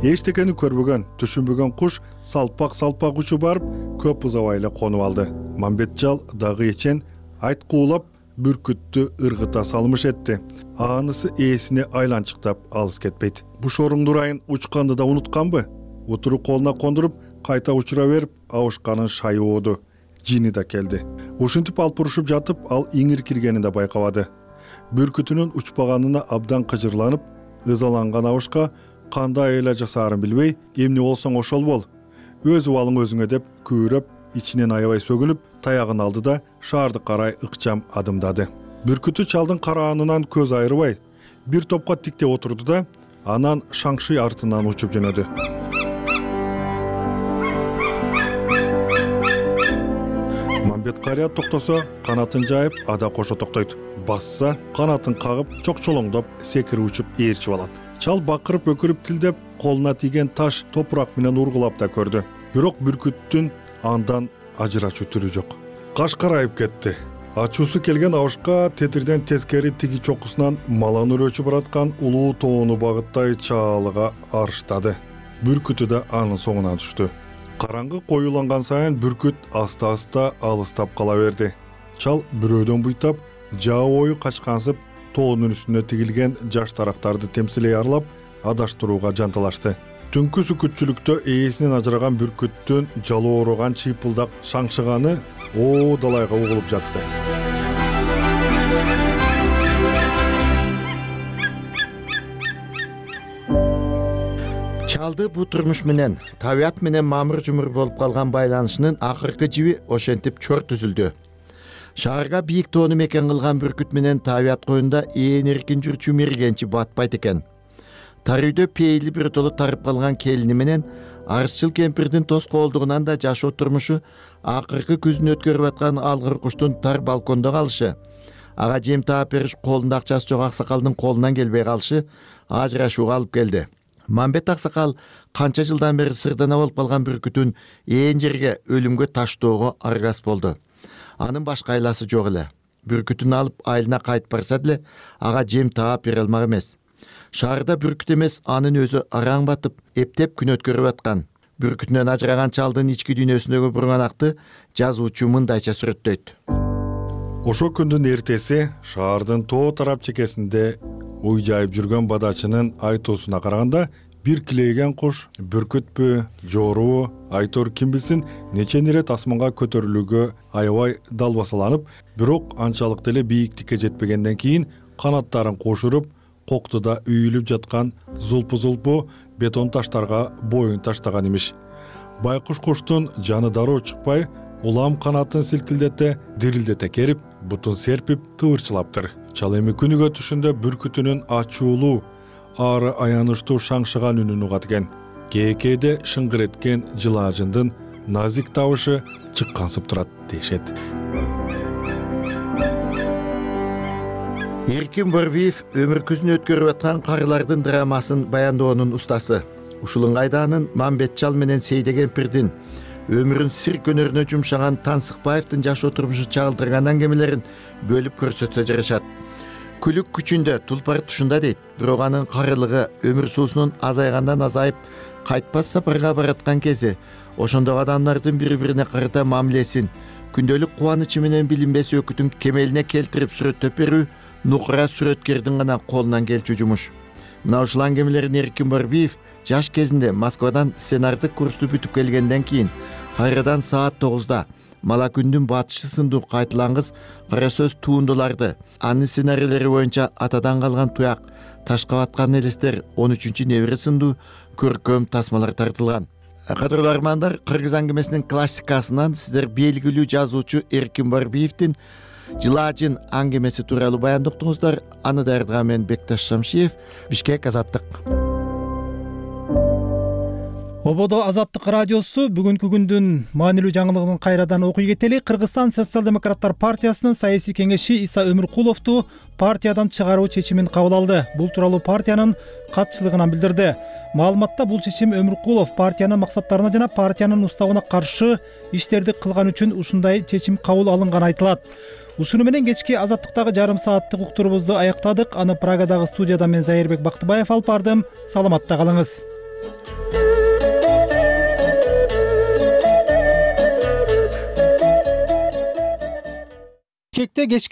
Эчтекени көрбөгөн, түшүнбөгөн куш салпак учуп барып, көп узабай эле конуп алды. Мамбет жал дагы эчен айткуулап бүркүттү ыргыта салмыш этти. Анысы ээсине айланчыктап алыс кетпейт. Бушоруң дурайын учканды да унутканбы? Утуру колуна кондуруп, кайта учура берип, абышканын шайы ооду. Жини да келди. Ушинтип алпурушуп жатып, ал иңир киргенин да байкабады. Бүркүтүнүн учпаганына абдан кыжырланып, ызаланган абышка кандай эле жасаарын билбей, "Эмне болсоң ошол бол. Өз убалың өзүңө" деп күбүрөп, ичинен аябай сөгүнүп, таягын алды да шаарды карай ыкчам адымдады. Бүркүтү чалдын караанынан көз айрыбай, бир топко тиктеп отурду да, анан шаңшый артынан учуп жөнөдү. Мамбет карыя токтосо, канатын жайып, ада кошо токтойт. Басса, канатын кагып, чокчолоңдоп, секирип учуп ээрчип алат. Чал бакырып, өкүрүп, тилдеп, колуна тийген таш топурак менен ургулап да көрдү. Бирок бүркүттүн андан ажырачуу түрү жок. Каш карайып кетти. Ачуусу келген абышка тетирден тескери тиги чокусунан малан өрөөчү бараткан улуу тоону багыттай чаалыга арыштады. Бүркүтү да анын соңуна түштү. Караңгы коюланган сайын бүркүт аста-аста алыстап кала берди. Чал бирөөдөн буйтап, жаа бою качкансып, тоонун үстүнө тигилген жаш тарактарды темсилей арлап, адаштырууга жанталашты. Түнкү сүкүтчүлүктө ээсинен ажыраган бүркүттүн жалоороган чыйпылдак шаңшыганы далайга угулуп жатты. Чалды бу турмуш менен, табият менен мамыр-жумур болуп калган байланышынын акыркы жиби ошентип чор түзүлдү. Шаарга бийик тоону мекен кылган бүркүт менен табият коюнда ээн эркин жүрчү мергенчи батпайт экен. Тар үйдө пейили бир толу тарып калган келини менен арызчыл кемпирдин тос коолдугунан да жашоо турмушу, акыркы күзүн өткөрүп аткан алгыр куштун тар балкондо калышы, ага жем таап бериш колунда акчасы жок аксакалдын колунан келбей калышы ажырашууга алып келди. Мамбет аксакал канча жылдан бери сырдана болуп калган бүркүтүн ээн жерге өлүмгө таштоого аргас болду. Анын башка айласы жок эле. Бүркүтүн алып айылына кайтып барса деле, ага жем таап бере алмак эмес. Шаарда бүркүт эмес, анын өзү араң батып, эптеп күн өткөрүп аткан. Бүркүтүнөн ажыраган чалдын ички дүйнөсүндөгү бурганакты жазуучу мындайча сүрөттөйт. Ошо күндүн эртеси шаардын тоо тарап чекесинде уй жайып жүргөн бадачынын айтуусуна караганда, бир килейген куш бүркүтпү, жоорубу, айтор ким билсин, нечен ирет асманга көтөрүлүүгө аябай далбасаланып, бирок анчалык деле бийиктикке жетпегенден кийин канаттарын кошуруп, коктуда үйүлүп жаткан зулпу бетон таштарга боюн таштаган имиш. Байкуш куштун жаны дароо чыкпай, улам канатын силкилдете, дирилдете керип, бутун серпип, тывырчылаптыр. Чал эми күнүгө түшүндө бүркүтүнүн ачуулуу, ары аянычтуу шаңшыган үнүн угат экен. Кээкээде шыңгыр эткен жылаажындын назик табышы чыккансып турат дешет. Эркин Борбиев өмүркүзүн өткөрүп аткан карылардын драмасын баяндоонун устасы. Ушул ыңгайда Мамбет Чал менен Сейде кемпирдин өмүрүн цирк өнөрүнө жумшаган Тансыкбаевдин жашоо турмушу чагылдырган аңгемелерин бөлүп көрсөтсө жарашат. Күлүк күчүндө тулпар тушунда дейт, бирок анын карылыгы өмүр суусунун азайгандан азайып, кайтпас сапарга бараткан кези, ошондо адамдардын бири-бирине карата мамилесин, күндөлүк кубанычы менен билинбес өкүтүн кемелине келтирип сүрөттөп берүү нукура сүрөткердин гана колунан келчү жумуш. Мына ушул аңгемелерин Эркин Борбиев жаш кезинде Москвадан сценардык курсту бүтүп келгенден кийин кайрадан саат 9-да Мала күндүн батышы сындуу кайтылангыс кара сөз туундуларды, анын сценарийлери боюнча атадан калган туяк, ташка баткан элестер, 13-небире сындуу көркөм тасмалар тартылган. Кадырлуу армандар, кыргыз аңгемесинин классикасынан сиздер белгилүү жазуучу Эркин Борбиевдин Жылаажын аңгемеси тууралуу баяндоктуңуздар. Аны даярдаган мен Бекташ Шамшиев, Бишкек, Азаттык. Ободо Азаттык радиосу бүгүнкү күндүн маанилүү жаңылыгын кайрадан окуй кетели. Кыргызстан социал-демократтар партиясынын саясий кеңеши Иса Өмүркуловду партиядан чыгаруу чечимин кабыл алды. Бул тууралуу партиянын катчылыгынан билдирди. Маалыматта бул чечим Өмүркулов партиянын максаттарына жана партиянын уставына каршы иштерди кылган үчүн ушундай чечим кабыл алынганы айтылат. Ушуну менен кечки Азаттыктагы жарым сааттык уктурубузду аяктадык. Аны Прагадагы студияда мен Зайырбек Бактыбаев алып бардым. Саламатта калыңыз. Кечки